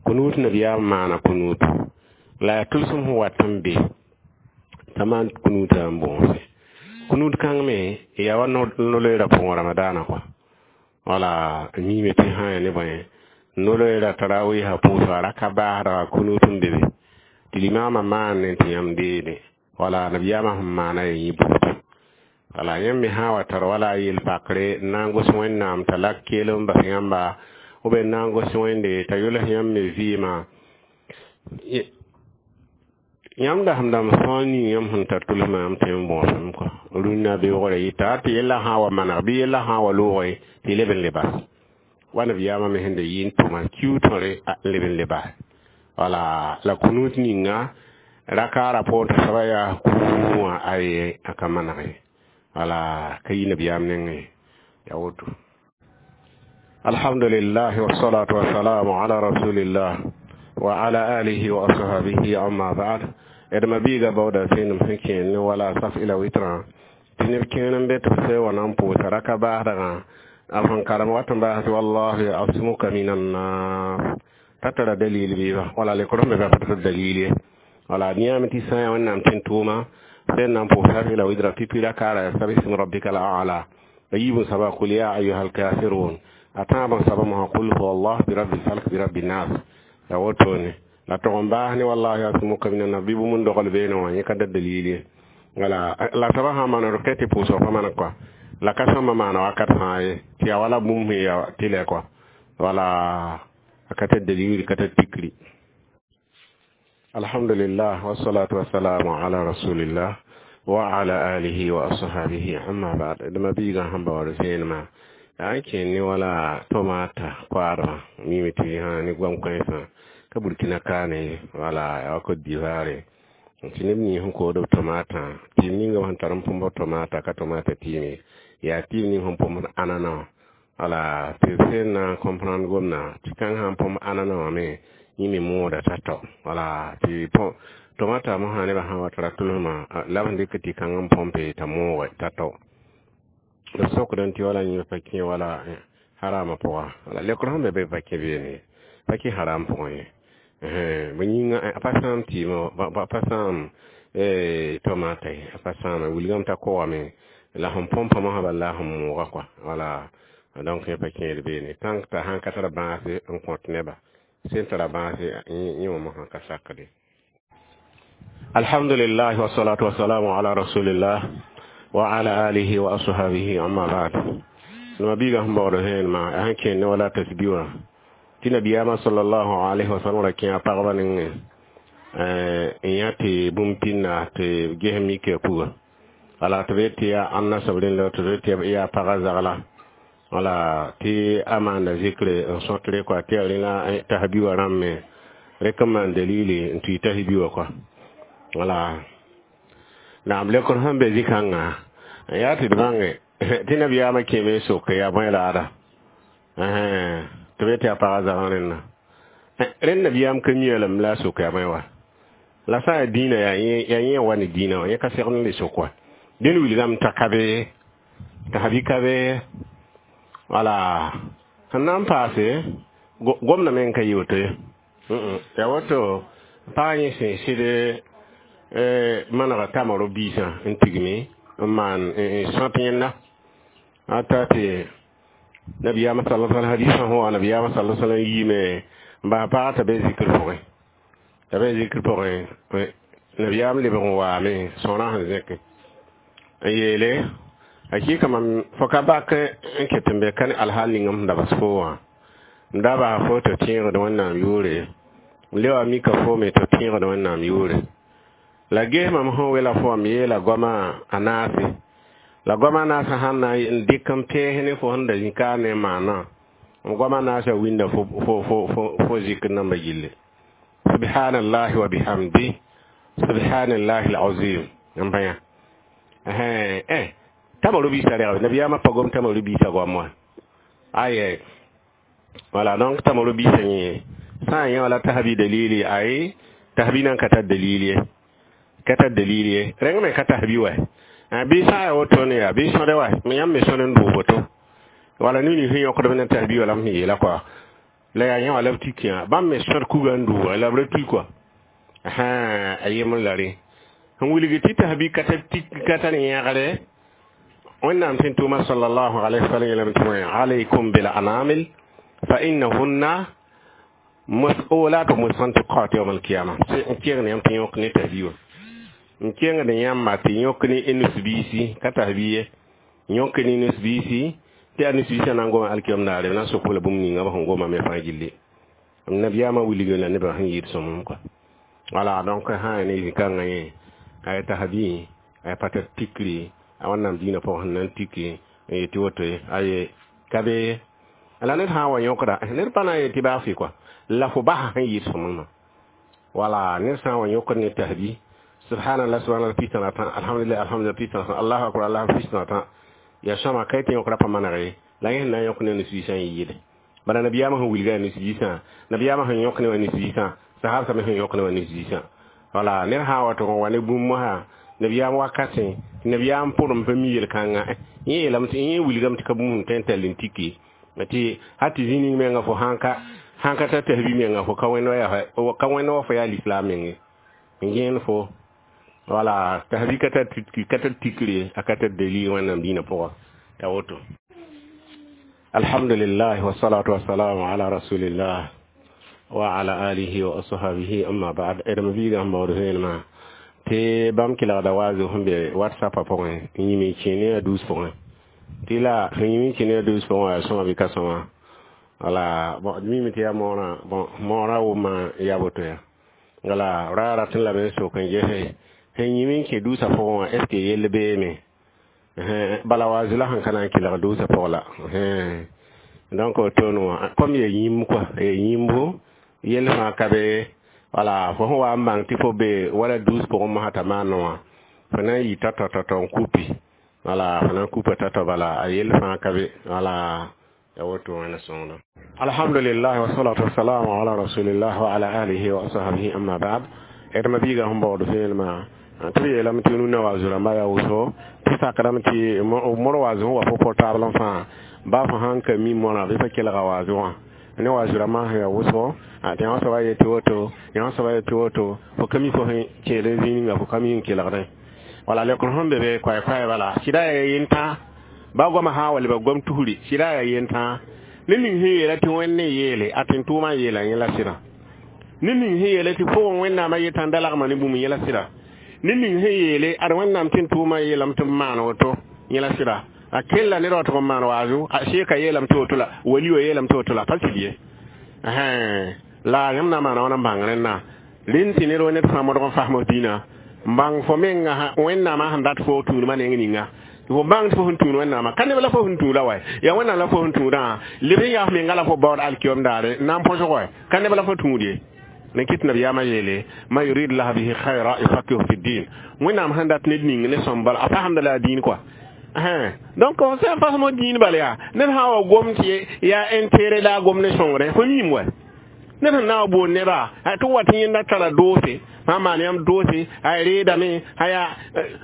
Kunuut nabiyaam maana kunuutu. La yaa tʋlsem sẽn wat n be t'a maan kunuutã n bõose. Kunuut kãng me yaa wa no-loeerã pʋgẽ ramadaanã kɔa. Wala miime tɩ sã n yaa ne bõe no-loeerã tarawiisã pʋʋsga raka baasdga kunuut n be be. Tɩ limaamã maan ne tɩ yãmb deede. Wala nabiyaamã sẽn maana ya yẽ buudu. Wala yãmb me sã n wa tar wala yel-pakre n na n gos Wẽnnaam t'a lak keel n bas yãmba ou bien n na n gos Wẽnde t'a yols yãmb me vɩɩmã. Yãmb dasem-dãmb sõor ning yãmb sẽn tar tʋlsmã yãmb tõe n bõosem kɔa. Rũnnã beoogrã yɩta tɩ yellã sã n wa maneg bɩ yellã sã n wa loogre tɩ leb n le bas. Wa nabiyaamã me sẽn da yɩ n tʋma kiu tõre n leb n le bas. Wala la kunuut ninga rakaara poor tɩ soaba yaa kũu wã aye a ka maneg ye. Wala ka yi nabiyaam nengẽ yaa woto. Alhamdulillah wa salatu wa salamu ala rasulillah wa ala alihi wa ashabihi amma ba'd. D ma biiga baooda sẽnem sẽn kẽen ne wala saf ila witrã tɩ neb kẽer n be tɩ b se wa na n pʋʋsa raka baasdgã a sẽn karem wat n baas tɩ wallahu yasmuka min annas t'a tara dalil bɩɩba wala lekr sẽn be pa tɩ dalil ye. Wala yãame tɩ sã n yaa Wẽnnaam tẽn tʋʋma sẽn na n pʋʋs saf ila witra pipi rakaara ya sabism rabbika al a'la a yiib n soaba qul ya ayuha alkafirun a tãab n soaba mosã qul huwa allah bi rabbi lfalk bi rabbi nnas ya wotone. La tog n baas ne wallahi yasmuka min annas bɩ bũmb n dogl beene wã yẽ ka da dalil ye. Wala la soaba sã n maan d kɛ tɩ pʋʋsg pa maneg kɔa. La ka sõma maana wakat fãa ye tɩ yaa wala bũmb sẽn yaa tɩlɛ kɔa. Wala a ka tar dalil ka tar tikri. Alhamdulillah wa salatu wa salamu ala rasulillah wa ala alihi wa ashabihi amma ba'd. D ma biigã sẽn baood vẽenemã yaa n kẽen ne wala tomata koaadmã mime tɩ sã ne goam-kãensã ka Burkina kaane wala yaa wa Côte d'Ivoire tɩ neb nins sẽn kood b tomatã tɩɩm ninga sẽn tar n põmb tomata ka tomata tɩɩme yaa tɩɩm ning sẽn põmd anana wã. Wala tɩ b sẽn na n comprendre gomdã tɩ kãng sã n põmb anana wã me yẽ me mooda t'a tao. Wala tɩ tomata mosã nebã sã n wa tara tʋlsmã la b sẽn dɩk tɩ kãng n põmpe t'a mooge t'a tao. B sokdẽ tɩ wala yẽ pa kẽ wala harama pʋga. Wala lekr sẽn be be pa kẽ beene pa kẽ haram pʋgẽ ye. Bõ yĩnga a pa sãam tɩɩmã pa sãam tomata ye a pa sãama wilgame t'a koogame la sẽn põmpa mosã bala la sẽn mooga kɔa. Wala donc yẽ pa kẽed beene tãnk t'a sãn ka tar bãase n kõt neba. Sẽn tara bãase, yẽ wã mosã ka sakde. Alhamdulillah, wassalatu wassalamu ala rasulillah wa ala alihi wa ashabihi, amma ba'd. No biga sẽn baood vẽenemã a sẽn kẽnd ne wala tasbi wã tɩ nabiyaamã sallallahu alaihi wasallam ra kẽ a pagba nengẽ n yã tɩ bũmb pĩnda tɩ ges mika puga. Wala tɩ b tɩ yaa ãnna soab rẽnd, tɩ b tɩ yaa pagã zagla, wala tɩ a maanda zikre n sõtre kɔa, tɩ yaa rẽ la tasbi wã rãmb me rẽk n maan dalili n tʋɩ tasbi wã kɔa. Wala naam lekr sẽn be zĩ-kãngã n yaa tɩ d bãnge tɩ nabiyaamã kẽeme n sok yaa bõe laada tɩ b tɩ yaa pagã zagã rẽnna. Rẽnd nabiyaam ka mi lame la a sok yaa bõe wa. La sã n yaa dĩinã, yaa yẽ wa ne dĩinã wã, yẽ ka segd n le sok wa. Dẽnd wilgame t'a ka be t'a ka be. Wala sẽn na n paase gomdã me n ka yɩ woto ye. Yaa woto pagã yẽ sẽn sɩd manega tamaro biisã n tigme n maan n sõt yẽnda a ta tɩ nabiyaamã sala sallam hadisã sẽn wa, nabiyaamã sala sallam yiime n bas pagã t'a be zikr pʋgẽ, t'a be zikr pʋgẽ. Nabiyaam lebg n waame sõorã sẽn zẽke n yeele: hakika mam fo ka bak n ket n be ka ne alhaal ning m da bas fo wã, m da bas fo tɩ tẽegd Wẽnnaam yʋʋre, m le wa mika fo me tɩ tẽegd Wẽnnaam yʋʋre. La ges mam sẽn wela fo, m yeela goama a naase, la goama naasã sãn na n dɩk n pẽes ne fo sẽn da zĩ ka ne maanã, m goama naasã winda fo fo zikr nambã gilli: subhanallahi wa bihamdi, subhanallahi alazim. N bãya tamaro biisã rɛgb nabiyaamã pa gom tamaro biisã goam wã aye. Wala, donc tamaro biisã yẽ sã n yã wala tasbi dalili, ay tasbi nan ka tar dalili ye, ka tar dalili ye, rẽng me ka tasbi wa bɩ sã n yaa wotone yaa bɩ sõde wa yãmb me sõd n dʋʋg woto. Wala nini sẽn yõkdb ne tasbi wala m sẽn yeela kɔa, la yaa yã wala b tik yã bãmb me sõd kuga n dʋʋga la b ra tui kɔa a yembr la rẽ sẽn wilg tɩ tasbi ka tar yẽgre. Wẽnnaam sẽn tʋʋma sallallahu alaihi wasallam yeelame tɩ wẽ alaykum bil anamil fa innahunna mas'ulat mustantiqat yawm al-qiyamah. N kẽng ne yãmb tɩ yõk ne tasbi wã, n kẽngd yãmba tɩ yõk ne nusbiisi, ka tasbi ye, yõk ne nusbiisi tɩ yaa nusbiisã na n goma alkiyam daare, b na n sok b la bũmb ninga b sẽn goma me fãa gilli. Nabiyaamã wilg la nebã sẽn yɩɩd sõmem kɔa. Wala, donc sã n ne zĩ-kãngã yẽ a ya tasbi a ya pa tar tikri a Wẽnnaam dĩinã pʋgẽ sẽn na n tiki n yetɩ woto ye aye ka be. La ned sã n wa yõkda, ned pa na n yet tɩ baa fɩ kɔa la fo basa sẽn yɩɩd sõmemã. Wala ned sã n wa yõkd ne tasbi: subhanallah, subhanallah 63, alhamdulillah, alhamdulillah 63, allahu akbar, allahu 63, yaa sõma ka tɩ yõkra pa maneg ye. La yẽ sẽn na n yõk ne nusbiisã n yɩɩde. Bala nabiyaamã sẽn wilga nusbiisã, nabiyaamã sẽn yõk ne wã nusbiisã, sahabsã me sẽn yõk ne wã nusbiisã. Wala ned sã n wa tʋg n wa ne bũmb mosã nabiyaam wakatẽ, tɩ nabiyaam pʋrem pa mi yel-kãngã, yẽ yeelame tɩ yẽ wilgame tɩ ka bũmb sẽn tõe n tall n tiki tɩ hal tɩ zĩ ning menga fo sãn ka tar tasbi menga fo ka wẽnd wa fo yaa lislaam menge n gẽen fo. Wala tasbi ka tar tikre, a ka tar dalil Wẽnnaam dĩinã pʋga t'a woto. Alhamdulillah, wassalatu wassalamu ala rasulillah wa ala alihi wa ashabihi, amma ba'd. D biigã sẽn baood vẽenemã tɩ bãmb kelgda waazo sẽn be WhatsApp pʋgẽ n yĩm n kẽ ne a dus pʋgẽ tɩ la sẽn yĩm n kẽ ne a dus pʋgẽ yaa sõma bɩ ka sõma. Wala, bon, d mime tɩ yaa moorã, bon, moorã wʋmã yaa woto ya. Wala ra rat n lame n sok n gese sẽn yĩm n kẽ duusã pʋgẽ wã, est ce que yell beeme? Bala waazo la sẽn ka na n kelg duusã pʋg la. Donc wotone wã comme ya yĩmb kɔa, ya yĩmbo yell fãa ka be. Wala fo sẽn wa n bãng tɩ fo be wala duus pʋgẽ mosã t'a maan wã, fo na n yɩ tao-tao tao-tao n kupi. Wala fo na n kupa tao-tao, bala a yell fãa ka be. Wala ya woto wẽna sõngdo. Alhamdulillah, wassalatu wassalamu ala rasulillah wa ala alihi wa ashabihi, amma ba'd. D ma biigã sẽn baood vẽenemã tɩ b yeelame tɩ nuna waazo rãmba yaa wʋsgo tɩ sakdame tɩ mor waazo sẽn wa fo portable fãa ba fo sãn ka mi morã bɩ fa kelga waazo wã ne waazo rãmbã sẽn yaa wʋsgo tɩ yã soaba yetɩ woto, yã soaba yetɩ woto, fo ka mi fo sẽn kẽed zĩig ninga fo ka mi n kelgdẽ. Wala lekr sẽn be be koɛɛ-koɛɛ bala sɩda yaa yentã ba goamã sã n wa lebg gom tusri sɩda yaa yentã. Ned ning sẽn yeela tɩ Wẽnd n yeele, a tɩ tʋʋmã yeela yẽ la sɩda. Ned ning sẽn yeele tɩ pʋgẽ Wẽnnaamã yetã n da lagma ne bũmb, yẽ la sɩda. Ned ning sẽn yeele ad Wẽnnaam tɩ tʋʋmã yeelame tɩ b maan woto, yẽ la sɩda. A kella ned wa tʋg n maan waazu, a sheeka yeelame tɩ woto la wali wa yeelame tɩ woto la pa sɩd ye. La yãmb na n maana wãna n bãng rẽnna? Rẽnd tɩ ned wa ned fãa modg n fasm f dĩinã, n bãng fo menga Wẽnnaamã sẽn dat fo tũudmã neng ninga. Fo bãng tɩ fo sẽn tũud Wẽnnaamã ka neb la fo sẽn tũuda wa, yaa Wẽnnaam la fo sẽn tũudã, leb n yaa f menga la fo baood alkiyom daare n na n põsg wa, ka neb la fo tũud ye. Ne kɩt nabiyaamã yeele, man yurid lah bihi khayra yufaqihu fi din. Wẽnnaam sẽn dat ned ning ne sõm bala, a fasemda la a dĩin kɔa. Donc sẽn fasem dĩin bala yaa ned sã n wa gom tɩ yaa intérêt la a gom ne sõngre, fo miime wa. Ned sẽn na n wa boond nebã tɩ wa tɩ yẽnda tara doose, sã n maan yãmb doose, a reedame, a yaa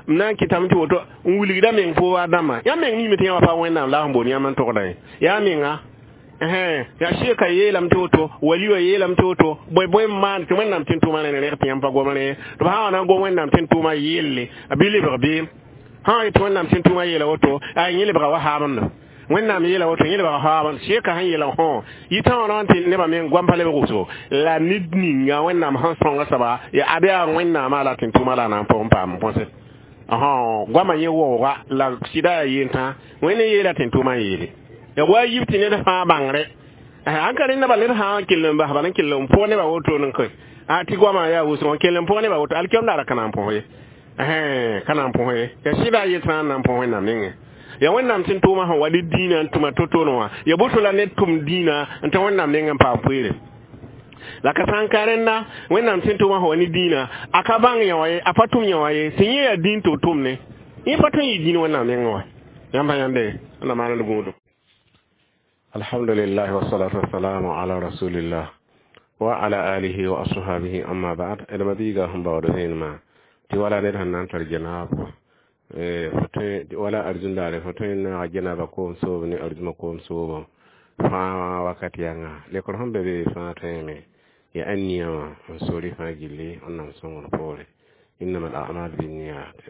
m na n kɩtame tɩ woto n wilgda meng fo a dãmbã. Yãmb meng miime tɩ yã wa pa Wẽnnaam la a sẽn boond yãmb n togda ye. Yaa menga yaa sheeka yeelame tɩ woto, wali wã yeelame tɩ woto, bõe bõe n maan tɩ Wẽnnaam tɩ n tʋʋmã rẽ rẽg tɩ yãmb pa gom rẽ. Tɩ b sã n wa na n gom Wẽnnaam tɩ n tʋʋmã yelle, bɩ lebg beem. Sã n yet Wẽnnaam tɩ n tʋʋmã yeela woto, a yẽ lebga wa haamendo. Wẽnnaam yeela woto, yẽ lebga haamend. Sheeka sẽn yeela hõ yitã wã tɩ nebã meng goam pa lebg wʋsgo. La ned ninga Wẽnnaam sẽn sõnga soaba yaa ad yaa Wẽnnaamã la tɩ n tʋʋmã la a na n pʋg n paam n põse. Goamã yẽ waooga la sɩda yaa yentã, Wẽnd n yeela tɩ n tʋʋmã yeele. Ya wa yib tɩ ned fãa bãngre. An ka rẽnda bal ned sã n kell n bas bala n kell n pʋg nebã woto n koe. A tɩ goamã yaa wʋsg n kell n pʋg nebã woto, alkiyom daara ka na n põs ye. Ka na n põs ye. Ya sɩda yetã n na n põs Wẽnnaam nengẽ. Ya Wẽnnaam tɩ n tʋʋmã sẽn wa ne dĩinã n tʋma to-to wã, ya boto la ned tʋm dĩinã n tɩ Wẽnnaam nengẽ n paam poeere. La ka sã n ka rẽnda Wẽnnaam tɩ n tʋʋmã sẽn wa ne dĩinã, a ka bãng yã wã ye, a pa tʋm yã wã ye, tɩ yẽ yaa dĩin tɩ b tʋm ne. Yẽ pa tõe n yɩ dĩin Wẽnnaam nengẽ wa. Yãmb pa yãnde, na maand gũudum. Alhamdulillah wassalatu wassalamu ala rasulillah wa ala alihi wa ashabihi, amma ba'd. Edma biiga sẽn baood zẽenema tɩ wala ned sẽn na n tar jenaab wala arzũndaare, fo tõe n naaga jenaaba koom soob ne arzũma koom soobo fãa wakat yãnga. Lekr sẽn be be fãa tõeme ya a nia wã n sori fãa gilli Wẽnnaam sõngr poore. Innama al a'mal binniyat.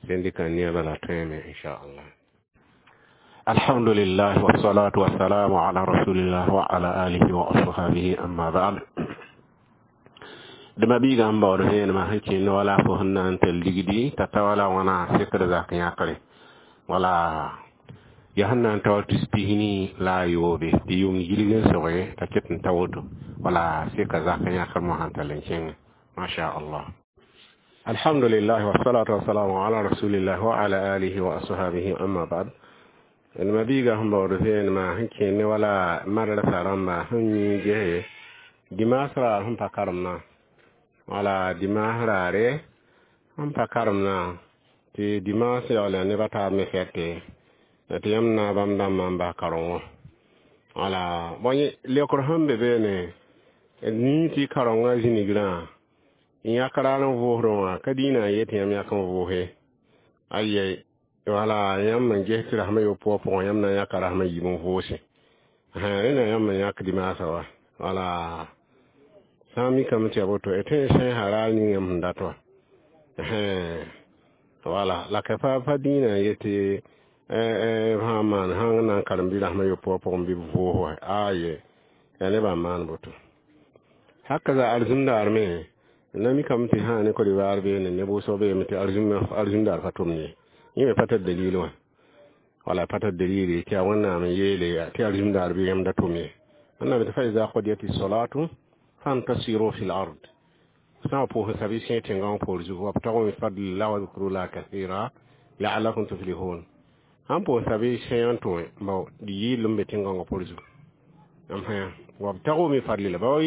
Sẽn dɩka nia bala tõeme, inchallah. Alhamdulillah wassalatu wassalamu ala rasulillah wa ala alihi wa ashabihi, amma ba'd. Dẽma biigã n baood vẽenemã sẽn kẽnd wala fo sẽn na n tɛl ligdi t'a ta wala wãna sekd zak yãkre wala ya sẽn na n ta wa tus pisni la a yoobe tɩ yʋʋm gilg n soge t'a ket n ta woto wala seka zak yãkr mosã n tall n kẽngẽ, masha Allah. Alhamdulillah wassalatu wassalamu ala rasulillah wa ala alihi wa ashabihi, amma ba'd. Dẽma biigã sẽn baood vẽenemã sẽn kẽnd wala madrasa rãmba sẽn yĩi gese dimaas raar sẽn pa karemdã, wala dimaas raare sẽn pa karemdã, tɩ dimaas yaool nebã taab me fɛte tɩ yãmb na bãmb dãmbã n bas karengõ. Wala bõe lekr sẽn be beene nii tɩ karengã zĩnigrã yãk raar n vʋʋsdẽ wã ka dĩinã n yet yãmb yãk n vʋʋse ayɛ. Wala yãmb n ges tɩ rasmã yopoa pʋgẽ yãmb na n yãka rasmã yiib n vʋʋse. Rẽna yãmb n yãk dimaasã wa. Wala sã n mikame tɩ ya boto d tõe n sẽesa raar ning yãmb sẽn dat wã. Wala la ka pa dĩinã n yetɩ sã n maan sãn na n karem bɩ rasmã yopoa pʋgẽ bɩ b vʋʋs wa, aye, yaa nebã n maan boto. Hakaza arzũndaar me na mikame tɩ sã ne Côte d'Ivoire beene neb wʋsg beeme tɩ arzũndaar pa tʋmd ye. Yẽ me pa tar dalil wã, wala pa tar dalili tɩ yaa Wẽnnaam n yeele tɩ arzũndaar bɩ yãmb da tʋm ye. Wẽnnaam tɩ fa iza qudiyat salatu fantasiru fi l-ard, sã n pʋʋs sabi sẽ tẽngã wã poor zugu, wabtagu min fadlillah wa dhkurullah kathira la'allakum tuflihun. Sãn pʋʋs sabi sẽ n tõe bao yɩɩlem be tẽngã wã poor zugu, wabtagu min fadlillah bao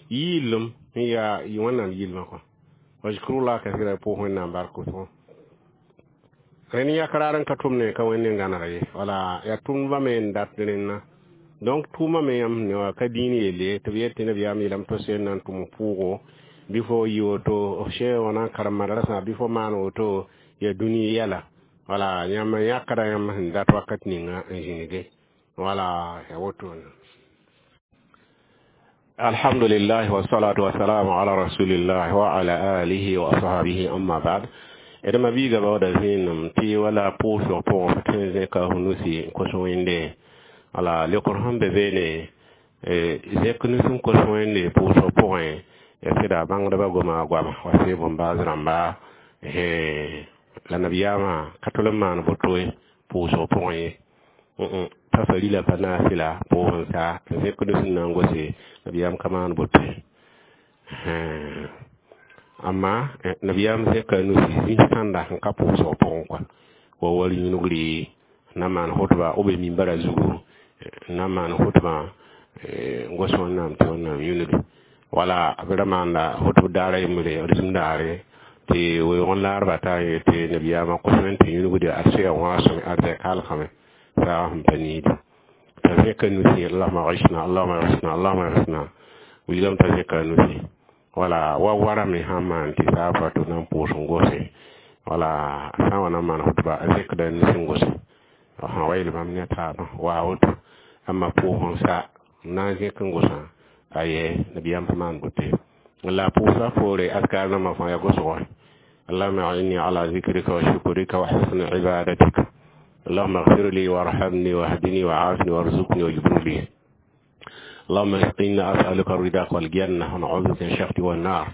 yɩɩlem n yaa Wẽnnaam yɩlmã kɔ, wa dhkurullah kathira, pʋʋs Wẽnnaam bark wʋsgo. Rẽnd yãk raar n ka tʋm ne ka Wẽnd n gãneg ye, wala yaa tʋmdbã me n dat rẽnna. Donc tʋʋmã me yãmb ne wa ka dĩin yelle tɩ b yet tɩ nabiyaam yeelame tɩ sẽn na n tʋm pʋʋgo bɩ fo yɩ woto sẽn wã na n karem madrasã bɩ fo maan woto ya dũni yɛla. Wala yãmb n yãkda yãmb sẽn dat wakat ninga n zĩnige, wala ya woto. Alhamdulillah wassalatu wassalamu ala rasulillah wa ala alihi wa ashabihi, amma ba'd. Dẽma biiga baooda zẽenem tɩ wala pʋʋsg pʋgẽ fo tõe n zẽka f nusi n kos Wẽnde. Wala leokr sẽn be beene, zẽk nus n kos Wẽnde pʋʋsg pʋgẽ, ya sɩda bãngdbã goma goama wa sɩ bõn-baas rãmba. La nabiyaamã ka tol n maan boto ye pʋʋsg pʋgẽ ye, pa farila pa naasɩla pʋʋs n sa n zẽk nus n na n gose, nabiyaam ka maan boto ye. Amma nabiyaam zẽka nusi zĩ-sãnda sẽn ka pʋʋsg pʋgẽ kɔa, wa war yũnugri na maan hotba b be mimbara zugu n na maan hotbã n gos Wẽnnaam tɩ Wẽnnaam yũnugi. Wala b ra maanda hotb daar a yembre, rĩm daare, tɩ weoog n laarba t'a yetɩ nabiyaamã kos wẽn tɩ yũnugde ad soya wãasem arzɛk halgame saagã sẽn pa niidi t'a zẽka nusi: "Allahuma gisna, Allahuma gisna, Allahuma gisna." Wilgame t'a zẽka nusi wala wa warame sãn maan tɩ saaba tɩ na n pʋʋs n gose. Wala sã n wa na n maan hotba, a zẽkda nus n gose sã wa yel bãmb ne taabã waa woto. Amma pʋʋs n sa n na n zẽk n gosã, aye, nabiyaam pa maan boto ye. La pʋʋsga poore askar nambã fãa ya gosgo: "اللهم أعني على ذكرك وشكرك وحسن عبادتك، اللهم اغفر لي وارحمني واهدني وعافني وارزقني واجبر لي، اللهم إنا أسألك الرضا والجنة ونعوذ بك من السخط والنار."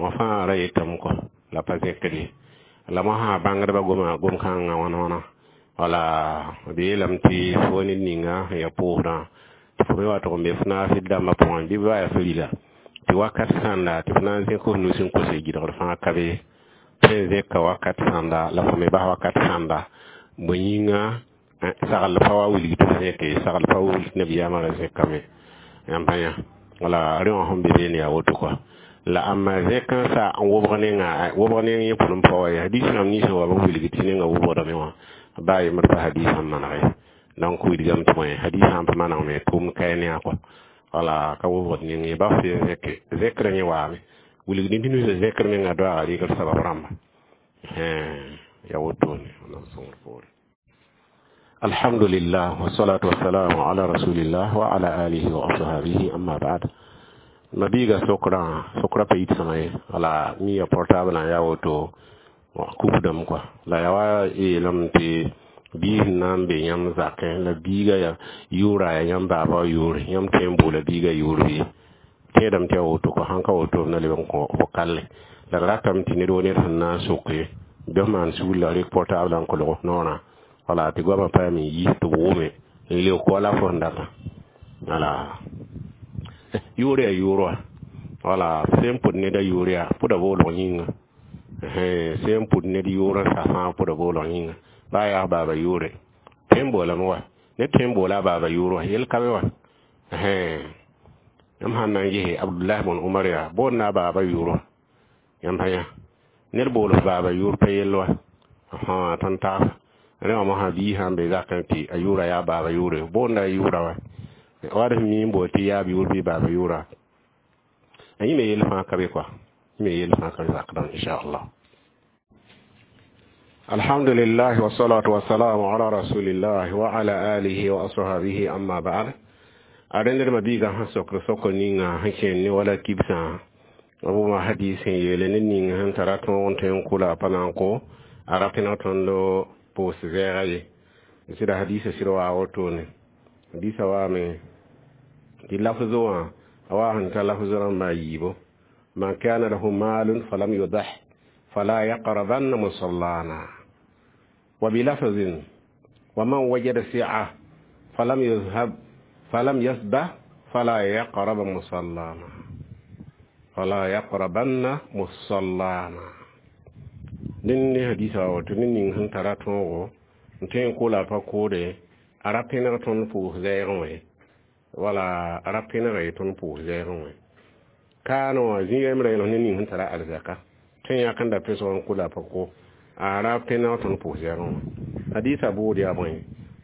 Wã fãa ra yetame kɔ la pa zẽkd ye. La mosã bãngdbã goma gom-kãngã wãna wãna. Wala b yeelame tɩ fo ned ninga sẽn ya pʋʋsdã, tɩ fo me wa tʋg n be f naasd dãmbã pʋgẽ bɩ ba yaa farila, tɩ wakat sãnda tɩ f na n zẽk f nus n kose gɩdgr fãa ka be tõe n zẽka wakat sãnda, la fo me bas wakat sãnda. Bõe yĩnga? Sagl pa wa wilg tɩ f zẽke, sagl pa wilg tɩ nabiyaamã ra zẽkame yãmb pa yã. Wala rẽ wã sẽn be beene yaa woto kɔa. La ãmba zẽk n sa n wobg nenga, wobg neng yẽ pʋlem pa wa ye. Hadiis rãmb nins wa b wilg tɩ nenga wobgdame wã baa yembd pa hadiisã n manege. Donc wilgame tɩ bõe, hadiisã n pa manegme tʋʋmd kae ne a kɔa. Wala ka wobgd neng ye, ba f zẽke zẽkrã yẽ waame wilg ned nusã zẽkr menga doaaga rɩgr sabab rãmba ya wotone na sõngr poore. Alhamdulillah, wassalatu wassalamu ala rasulillah wa ala alihi wa ashabihi, amma ba'd. Mabiiga sokraã, sokra pa yit sõma ye. Wala mi ya portable n yaa woto kufdame kɔa. La yaa wa yeelame tɩ biis n na n be yãmb zakẽ, la biiga ya yʋʋra yaa yãmb baaba wã yʋʋre, yãmb tõe n boola biiga yʋʋr bɩ? Tẽedame tɩ yaa woto kɔ. Sãn ka woto, b na leb n kõ fo kalle. La d ratame tɩ ned wo ned sẽn na n soke bɩ f maan sugr la rɩk portable n kolg f noorã. Wala tɩ goamã paame n yi tɩ b wʋme n leok wala fo sẽn datã. Wala yʋʋr yaa yʋʋr wa. Wala sẽn pʋd neda yʋʋr yaa pʋda boolg yĩnga, sẽn pʋd ned yʋʋr n sa fãa pʋda boolg yĩnga, baa yaa baaba yʋʋre tõe n boolame wa. Ned tõe n boola a baaba yʋʋr wa, yel ka be wa. Yãmb sãn na n gese Abdullah bn Umar yaa boond a baaba yʋʋr wa. Yãmb pa yã, ned bool f baaba yʋʋr pa yell wa tõnd tags rẽ wã mosã. Biig sãn be zakẽ tɩ a yʋʋra yaa baaba yʋʋre, boonda a yʋʋra wa, wad sẽn mi n bool tɩ yaab yʋʋr bɩ baaba yʋʋra, a yẽ me yell fãa ka be kɔa, yẽ me yell fãa ka be zakdã, inchallah. Alhamdulillah, wassalatu wassalamu ala rasulillah wa ala alihi wa ashabihi, amma ba'd. A rẽnd mabiigã sẽn sokd sokr ninga sẽn kẽen ne wala kibsã b wʋma hadis sẽn yeele ned ning sẽn tara tõog n tõe n kʋla pa na n kõ a ra pẽneg tõndo pʋʋs vɛɛga ye. Sɩda hadisa sɩd waa wotone. Hadisa waame tɩ lafz wã a waa sẽn ta lafz rãmba a yiibo: "Man kana lahu malun falam yudah fala yaqrabanna musallana", wa bilafzin: "ومن وجد سعة فلم يذهب فلم يسبح فلا يقرب مصلانا، فلا يقربن مصلانا." Dẽnd ne hadisa woto: ned ning sẽn tara tõogo n tõe n kola pa koode, a ra pẽneg tõnd pʋʋs zɛɛgẽ wã, wala a ra pẽnega ye tõnd pʋʋs zɛɛgẽ wã. Kaanẽ wã zĩ yembrã yeelg ned ning sẽn tara arzɛka tõe n yãk n da pesg n kola pa ko, a ra pẽneg tõnd pʋʋs zɛɛgẽ wã. Hadisa buud yaa bõe?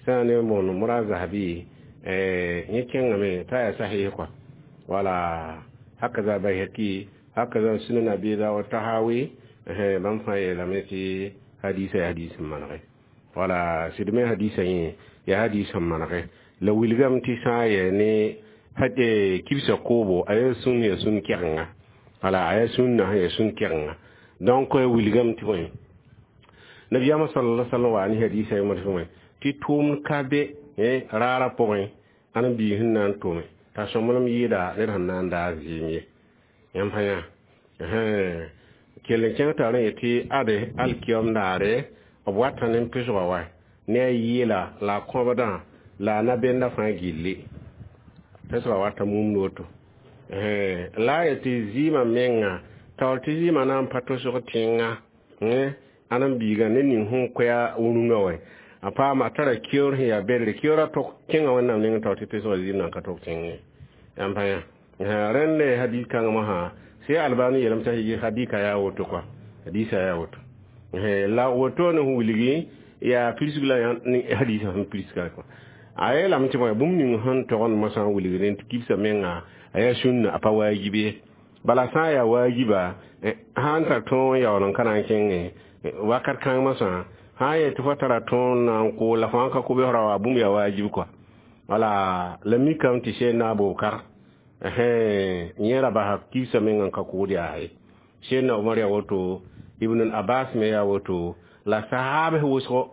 Sã n ne moon mura zahabi yẽ kẽngame t'a yaa sahih kɔa. Wala hakaza Bayhaki, hakaza Sunan Abi Dawud, Tahawi, bãmb fãa yeelame tɩ hadisa yaa hadis n manege. Wala sɩd me hadisa yẽ yaa hadis n manege. La wilgame tɩ sã n yɛ ne kibsã koobo, a yaa sũn, yaa sũn kɛgenga. Wala a yaa sũnna sẽn yaa sũn kɛgenga. Donc wilgame tɩ bõe, nabiyaamã sala sallam wa ne hadisa yẽmd tɩ bõe, tɩ tʋʋmd ka be. Raarã pʋgẽ ãn biig sẽn na n tome t'a sõmblem yɩɩda ned sẽn na n daag zɩɩm ye. Yãmb fã yã kell n kẽng t'a rẽ yetɩ ade alkiyom daare b wata ne pesgã wa ne a yɩɩla la a kõbdã la a na-benda fãa gilli pesgã wata mumd woto. La a yetɩ zɩɩmã menga taoor tɩ zɩɩmã na n pa tosg tẽnga ãn n biigã ne ning sẽn koɛa rũngã wa a paama a tara keoor sẽn yaa bedre keoorã tok kẽnga Wẽnnaam nengẽ taoor tɩ pesgã zɩɩm nan ka tok tẽng ye. Yãmb fã yã rẽnd hadis kãngã mosã sɩ Albani yeelame t'a hadika yaa woto kɔa hadisa yaa woto la woto ne wilgi yaa pirsg la hadisa sẽn pirsga kɔa a yeelame tɩ bõe bũmb ning sẽn togend mosã n wilgd tɩ kibsã menga a yaa sũnna a pa waajib ye. Bala sã n yaa waajiba sã n tar tõog n yaool n ka na n kẽngẽ wakat kãng mosã sã n yet tɩ fo tara tõog n na n koo la fo sãn ka kobsra wa bũmb yaa waajib kɔa. Wala la mikame tɩ Sẽdna Abubakar yẽ ra basa kibsã meng n ka kʋʋd yaa ye. Sẽdna Omar yaa woto, Ibn Abbas me yaa woto, la sahaabs wʋsgo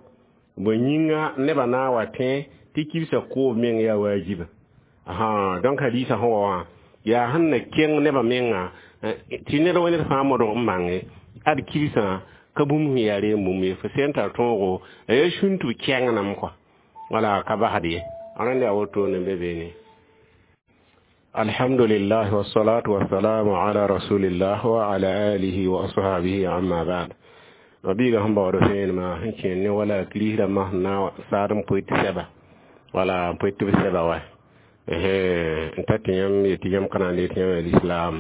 bõe yĩnga nebã na n wa tẽ tɩ kibsã koob meng yaa waajiba. Donc hadisa sẽn wa wã yaa sẽn na kẽng nebã menga tɩ ned wa ned fãa modg n bãnge ad kibsã ka bũmb sẽn yaa reem bũmb ye fo sẽn tar tõogo a yaa sũn tɩ b kẽngname kɔa wala ka basd ye. Rẽnd yaa wotone n be beene. Alhamdulillah wassalatu wassalamu ala rasulillah wa ala alihi wa ashabihi amma ba'd. Mabiiga sẽn baood vẽenemã sẽn kẽer ne wala kirist rãmbã sẽn na saad n poe tɩ sɛba wala n poe tɩ b sɛba wa n ta tɩ yãmb yetɩ yãmb ka na n tɩ yãmb yaa lislaam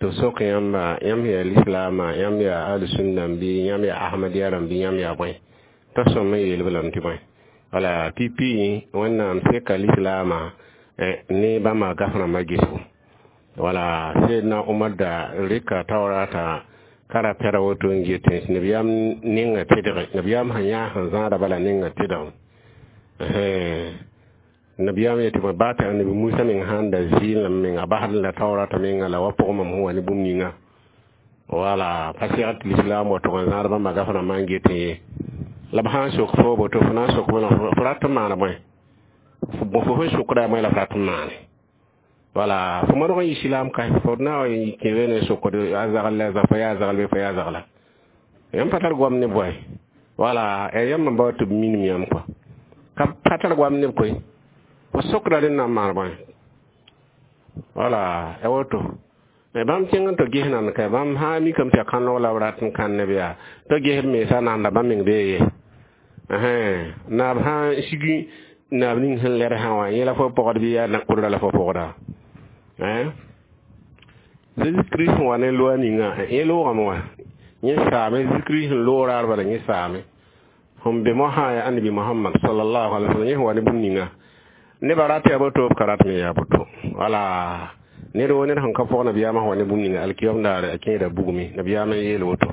tɩ sok yãmba yãmb yaa lislaamã yãmb yaa ahlusunna bɩ yãmb yaa ahmadiya rãmb bɩ yãmb yaa bõe t'a sõm n yeel b lame tɩ bõe wala pipi Wẽnnaam seka lislaamã ne bãmba gaf rãmbã gesgo wala Seedna Omar da rɩka taoorata ka ra pɛda woto n get nabiyaam ninga tɩdge nabiyaam sẽn yã sẽn zãada bala ninga tɩdg nabiyaam yetɩ bõe baa tɩ annabi Musa meng sãn da zɩɩl meng a basd la taoorata menga la wa pʋgẽ mam sẽn wa ne bũmb ninga wala pa segd tɩ lislaam wa tʋg n zãad bãmba gaf rãmbã n getẽ ye. La b sã n sok fo boto fo na n sok fo rat n maana bõe fo sẽn sokda bõe la f rat n maane wala fo modg n yɩ silaam ka fo na wa kẽ ne sokd a zagl la fo yaa zagl bɩ fo yaa zagla yãmb pa tar goam ne bõe wala yãmb n bao tɩ b minim yãmb kɔa ka pa tar goam neb koe fo sokda rẽnd na n maan bõe wala ya woto. Bãmb kẽng n tɩ ges nan ka bãmb sã n mikame tɩ yaa kãnog la b rat n kãn neb yaa tɩ ges b mensa nanda bãmb meng bee ye naab sã n sigi naab ning sẽn lɛd sã wã yẽ la fo pɔgd bɩ yaa na-kʋdra la fo pɔgda Zeezi Kirist sẽn wa ne loa ninga yẽ loogame wã yẽ saame Zeezi Kirist sẽn loog raar bala yẽ saame sẽn be mosã yaa annabi Mohamad sallallahu alaihi wasallam yẽ sẽn wa ne bũmb ninga nebã rat yaa boto b ka rat me yaa boto wala ned wo ned sẽn ka pɔg nabiyaamã sẽn wa ne bũmb ninga alkiyom daare a kẽeda bugme nabiyaamã n yeel woto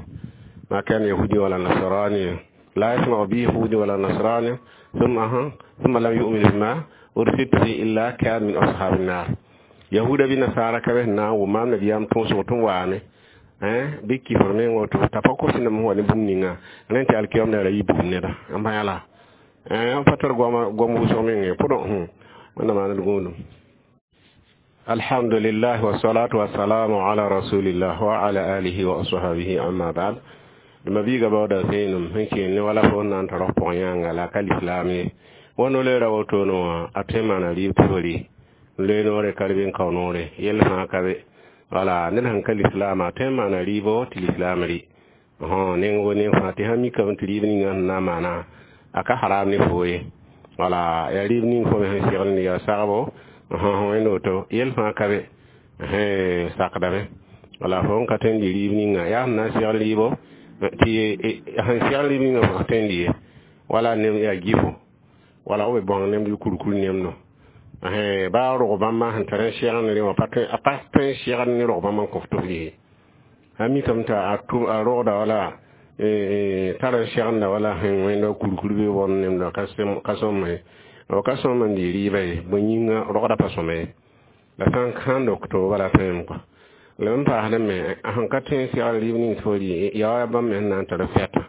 ma kana yahudi wala nasrani la yasma'u bi yahudi wala nasrani thumma lam yu'min bima ursiltu bihi illa kana min ashabin nar. Yahuda bɩ nasara ka bɩ sẽn na n wʋm maam nabiyaam tõosg tɩ n waame bɩ kifr meng woto t'a pa kos nem wa ne bũmb ninga rẽnd tɩ alkiyom daara yɩ bugum neda n bã la n pa tar goam wʋsg meng ye pʋdõ Wẽnnaam maan d gũudum. Alhamdulillah wassalatu wassalamu ala rasulillah wa ala alihi wa ashabihi amma ba'd. Mabiiga baooda vẽenem sẽn kẽer ne wala fo n na n tar f pʋgẽ yãnga la ka lislaam ye wa no-loeera wotone wã a tõe n maana rɩɩb tɩ fo rɩ loe noore ka rɩ bɩ n kao noore yell fãa ka be wala ned sẽn ka lislaamã a tõe n maana rɩɩbo tɩ lislaam rɩ neng wo neng fãa tɩ sã mikame tɩ rɩɩb ninga sẽn na n maana a ka haram ne fo ye wala yaa rɩɩb ning fo me sẽn segl ne yaa sagbo wẽnd woto yell fãa ka be sakdame wala fo n ka tõe n dɩ rɩɩb ninga yaa sẽn na n segl rɩɩbo tɩ sẽn segl rɩɩb ninga fo ka tõe n dɩ ye wala nem yaa gifo wala b bõng nem bɩ kurkur nemdo baa rog bãmbã sẽn tar n segl ne wã a pa tõe n segl ne rog bãmb n kõ f tɩ f rɩ a mikame tɩ a rogda wala tar n seglda wala sẽn wẽnda kurkur bɩ bõnd nemdã ka sõma ye b ka sõm n dɩ rɩɩba ye bõe yĩnga rogda pa sõma ye la sã n kãn dok to bala tõem kɔa la n paasdẽ me sẽn ka tõe n segl rɩɩb ning tɩ fo rɩ yaa bãmb me sẽn na n tar fɛta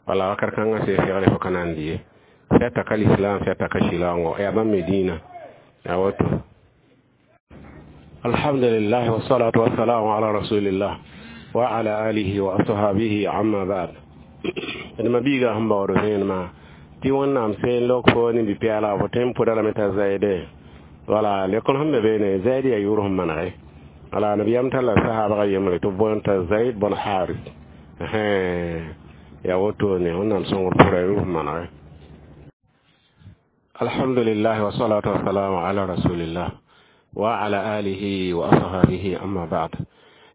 wala wakat kãngã sẽn segl fo ka na n dɩ ye Fɛta ka l'islam fɛta ka shɩlaoongo yaa bãmb me dĩinã yaa woto. Alhamdulillah wassalatu wassalamu ala rasulillah wa ala alihi wa ashabihi, amma ba'd. D ma biiga sẽn baood vẽenemã tɩ Wẽnnaam seen lok fo ne bi-pɛɛlga fo tõe n pʋda lame t'a zaide. Wala lekr sẽn be beene, zaid yaa yʋʋr sẽn manege. Wala nabiyaam talla sahabga yembre tɩ b boond t'a Zaid bõn Haris. Yaa wotone Wẽnnaam sõngr pʋra yʋʋr sẽn manege. Alhamdulillah wassalatu wassalamu ala rasulillah wa ala alihi wa ashabihi, amma ba'd.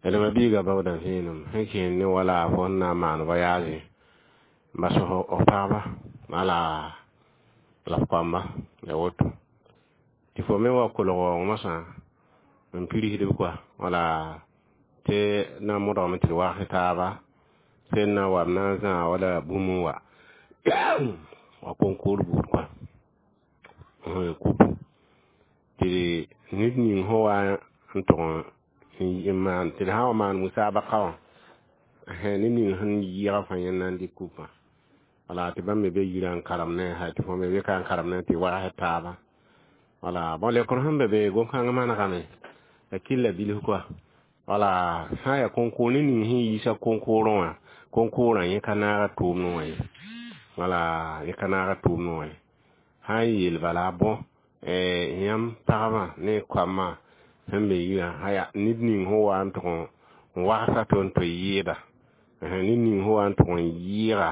D ma biiga baooda vẽenem sẽn kẽen ne wala fo n na n maan voyage n bas f pagba wala la f koamba ya woto tɩ fo me wa kolg waoong mosã n pirsdb koa wala tɩ na modgame tɩ d wags taaba sẽn na wa b na n zãa wala bũmb n wa wa konkoor buud koa kupu tɩ ned ning sẽn wa n tʋg n maan tɩ d sã n wa maan musabaka wã, ned ning sẽn yɩɩga fãa yẽnd na n dɩk kupã. Wala tɩ bãmb me be yirã n karem ne tɩ fo me be ka n karem ne tɩ wags taaba. Wala bõn lekr sẽn be be gom-kãng manegame la kɩlla bilf koa. Wala sã n yaa konkoor, ned ning sẽn yiisa konkoorẽ wã, konkoorã yẽ ka naaga tʋʋmdẽ wã ye. Wala yẽ ka naaga tʋʋmdẽ wã ye. Sã n yeel bala bõ yãmb pagbã ne koamã sẽn be yirã aya ned ning sẽn wa n tʋg n wagsa tɩ n tɩ yɩɩda, ned ning sẽn wa n tʋg n yɩɩga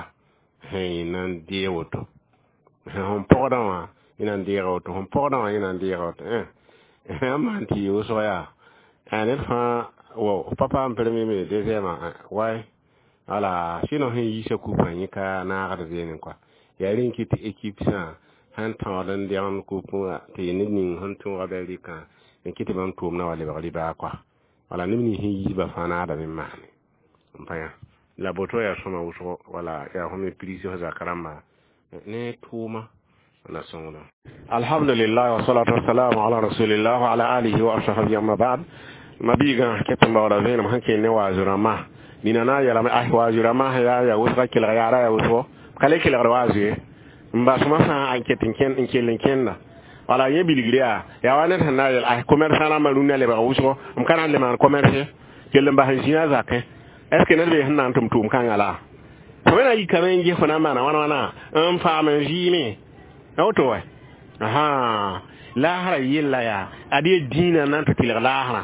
yẽ na n deeg woto, sẽn pɔgdã wã yẽ na n deega woto, sẽn pɔgdã wã yẽ na n deega woto. N maan tɩ yɩ wʋsg yaa ned fãa wa pa paam premier me deuxième way. Wala sɩno sẽn yiisa kupã yẽ ka naagd zeene kɔa. Yaa rẽ n kɩt tɩ équipe sã sẽn tãood n dẽgemd kup wã tɩ ned ning sẽn tõoga bɩ a rɩkã n kɩt tɩ bãmb tʋʋmdã wa lebg rɩbaa kɔa. Wala neb nins sẽn yiisba fãa naadame n maane n pa yã la boto yaa sõma wʋsgo. Wala yaa fo me pirs f zak rãmba ne tʋʋma la sõngda. Alhamdulillah wasalatu wassalamu ala rasulillah wa ala alihi wa ashabihi, amma ba'd. Ma biigã ket n baooda vẽenem sẽn kell ne waazʋ rãmbã nina na n yeelame ah waazʋ rãmbã yaa ya wʋsga kelg yaara ya wʋsgo ka le kelgd waazʋ ye n bas masã n ket n kell n kẽnda. Wala yẽ bilgr yaa wa ned sẽn na n yeel ah commerçant rãmbã rũnnã lebg wʋsgo m ka na n le maan commerce kell n bas n zĩa zakẽ. Est ce que ned bee sẽn na n tʋm tʋʋm kãngã la fo me na yikame n ges fo na n maana wãna wãna n paam n vɩɩme a woto wa asa laasrã yella yaa ad ye dĩinã n na n tɩ tɩlg laasrã.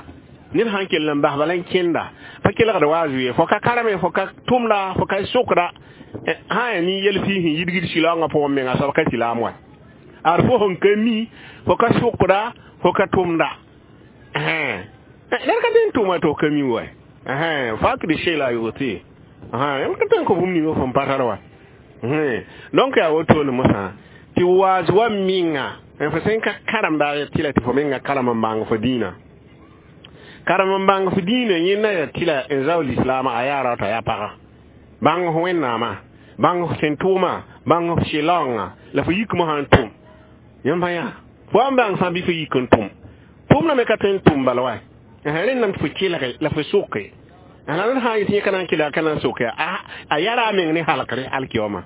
Ned sãn kell n bas bala n kẽnda pa kelgd waaz ye, fo ka karame, fo ka tʋmda, fo ka sokda sã yaa nin-yel fɩ sẽn yidgd sɩlaoongã pʋgẽ menga soab ka silaam wa ad fo sẽn ka mi, fo ka sokda, fo ka tʋmda ned ka tõe n tʋma tɩ f ka mi wa fak de shela yote yãmb ka tõe n kõ bũmb ninga fõn pa tar wa. Donc yaa wotone mosã tɩ waaz wa menga fo sẽn ka karemda ya tɩla tɩ fo menga karem n bãng fo dĩinã, karem n bãng fo dĩinã yẽnda ya tɩla n zao lislaamã a yaa rao t'a yaa paga bãng f Wẽnnaamã, bãng f sẽn tʋʋma, bãng f sɩlaoongã la fo yik mosã n tʋm. Yãmb pa yã fo wa n bãng fãa bɩ fo yik n tʋm tʋmdã me ka tõe n tʋm bala wa rẽndame tɩ fo kelge la fo soke la ned sã n yetɩ yẽ ka na n kelga ka na n soke a yara a meng ne halkre alkioma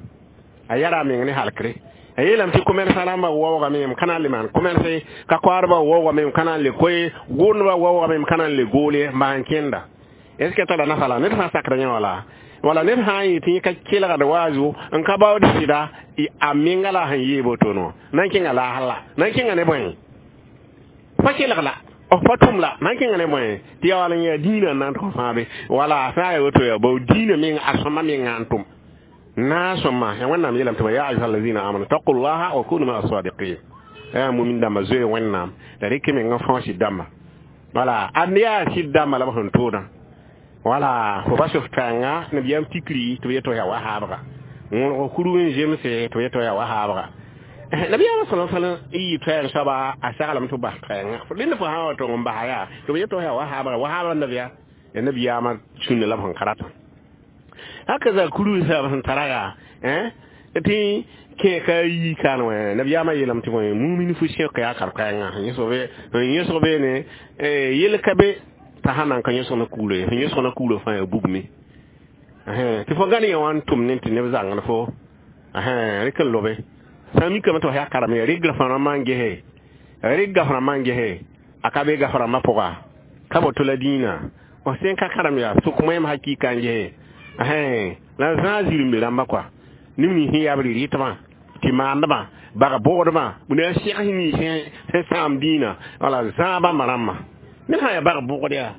a yara a meng ne halkre. A yeelame tɩ commerçant rãmbã waoogame m ka na n le maan commerce ka koaadbã waoogame m ka na n le koe gʋʋndbã waoogame m ka na n le goole n bas n kẽnda. Est ce que tara nafa la ned fãa sakda yẽ wala wala ned sã n yetɩ yẽ ka kelgd waazu n ka baood sɩda a menga la sẽn yee botono na n kẽnga laasr la na n kẽnga ne bõe pa kelg la f pa tʋm la na n kẽnga ne bõe tɩ yaa wala n yaa dĩinã n na n tʋg fãabe. Wala sã n yaa woto yaa bao dĩinã meng a sõma menga n tʋm na sõma ya Wẽnnaam yeelame tɩ ya ayuha allazina amanu taqullaha wa kunu maa sadiqin yaa mumin dãmba zoe Wẽnnaam la rɩk menga fãa sɩd dãmba. Wala ad yaa sɩd dãmba la b sẽn tʋʋdã. Wala fo bas f tãnga nabiyaam tikri tɩ b yetɩ yaa wa haabga wõrg kuru n zemse tɩ b yetɩ yaa wa haabga nabiyaamã sala sallam y yɩ toɛɛg soaba a saglame tɩ b bas toɛɛngã rẽnd fo sã n wa tong n basa yaa tɩ b yetɩ yaa wa haabga wa haabga nabiya ya nabiyaamã sũnna la b sẽn ka ratã haka za kuru sab sẽn tara yaa tɩ kẽ ka yi kaan wã nabiyaamã yeelame tɩ bõe mumin fu sẽk yaa kar-koɛɛngã yẽsg beene yel ka be t'a sã nan ka yẽsg na kuglã ye sẽn yẽsg na kuglã fãa yaa bugme tɩ fo gãn yã wã n tʋm ne tɩ neb zãngd fo rɩk n lobe. Sã mikame tɩ f yaa karem ya rɩgra rãmbã n gese rɩga f rãmbã n gese a ka be gaf rãmbã pʋga ka boto la dĩinã f sẽn ka karem yaa sʋk moẽm hakɩɩka n gese la zãag zirẽmbe rãmba kɔa neb nins sẽn yaa b rɩ-rɩtbã tɩ maandbã bag bʋgdbã na sɛgs nins sẽn sãam dĩinã wala zãag bãmba rãmbã ned sã n yaa bag bʋgd yaa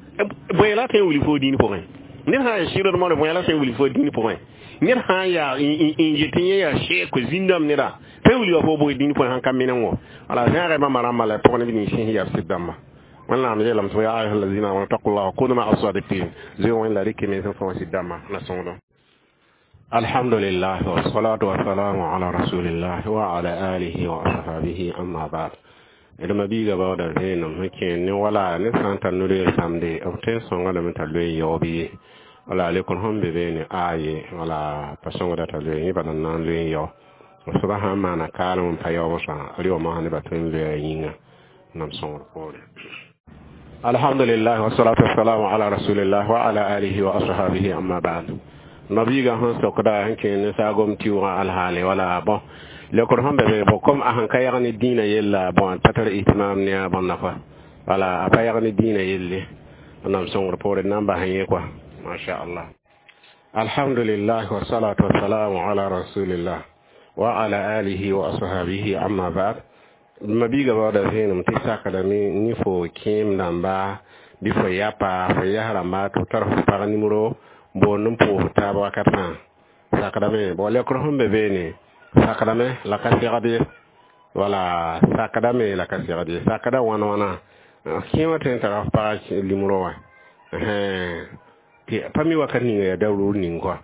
bõe la tõe n wilg fo dĩin pʋgẽ ned sã n yaa sɩrd modr bõe la tõe n wilg fo dĩin pʋgẽ ned sã n yaa n yet yẽ yaa sheek zĩndame neda tõe n wilga fo bʋg dĩin pʋgẽ sãn ka meneng wala zãaga bãmba rãmbã la pʋg neb nins sẽn yaa b sɩd dãmba wẽnnaam yeelame tɩ ya ayuha allazina amanu taqullaha wa kunu ma'a sadiqin zoe wẽn la rɩk mens n fõ sɩd dãmba la sõngdo. Alhamdulillah wassalatu wassalamu ala rasulillah wa ala alihi wa ashabihi, amma ba'd. D mabiiga baooda vẽenem sẽn kẽer ne wala ned sã n tar no-loeer samde b tõe n sõnga lame t'a loe yaoob ye wala lekr sẽn be beene aye wala pa sõngda t'a loe yẽ bala n na n loe n yao soaba sã n maana kaalem n pa yaoobsã rɩ masã nebã tõe n loeea yĩnga nam sõngr poore. Alhamdulillah wassalatu wassalamu ala rasulillah wa ala alihi wa ashabihi, amma ba'd. Mabiiga sẽn sokda sẽn kẽer ne saagom tɩʋgã alhaale wala bon lekr sẽn be be bon comme a sẽn ka yag ne dĩinã yella bon pa tar ihtimam ne a bõnda kɔa wala a pa yag ne dĩinã yelle nam sõngr poore na n bas yẽ kɔa masha Allah. Alhamdulillah wassalatu wassalamu ala rasulillah wa ala alihi wa ashabihi, amma ba'd. Mabiiga baooda vẽenem tɩ sakdame ne fo kẽem dãmba bɩ fo yapa fo yas rãmba tɩ f tar f pag nimero boond n pʋʋs taab wakat fãa sakdame bon lekr sẽn be beene sakdame la ka segd ye wala sakdame la ka segd ye sakda wãn wãna kẽemã tõe n tara f pag limro wã tɩ pa mi wakat ninga yaa daruur ning kɔa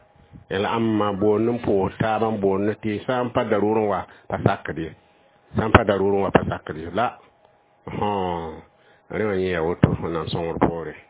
la ãmba boond n pʋʋs taab n boond tɩ sã n pa daruur n wa pa sakd ye sã n pa daruur n wa pa sakd ye la rẽ wã yẽ yaa woto nam sõngr poore.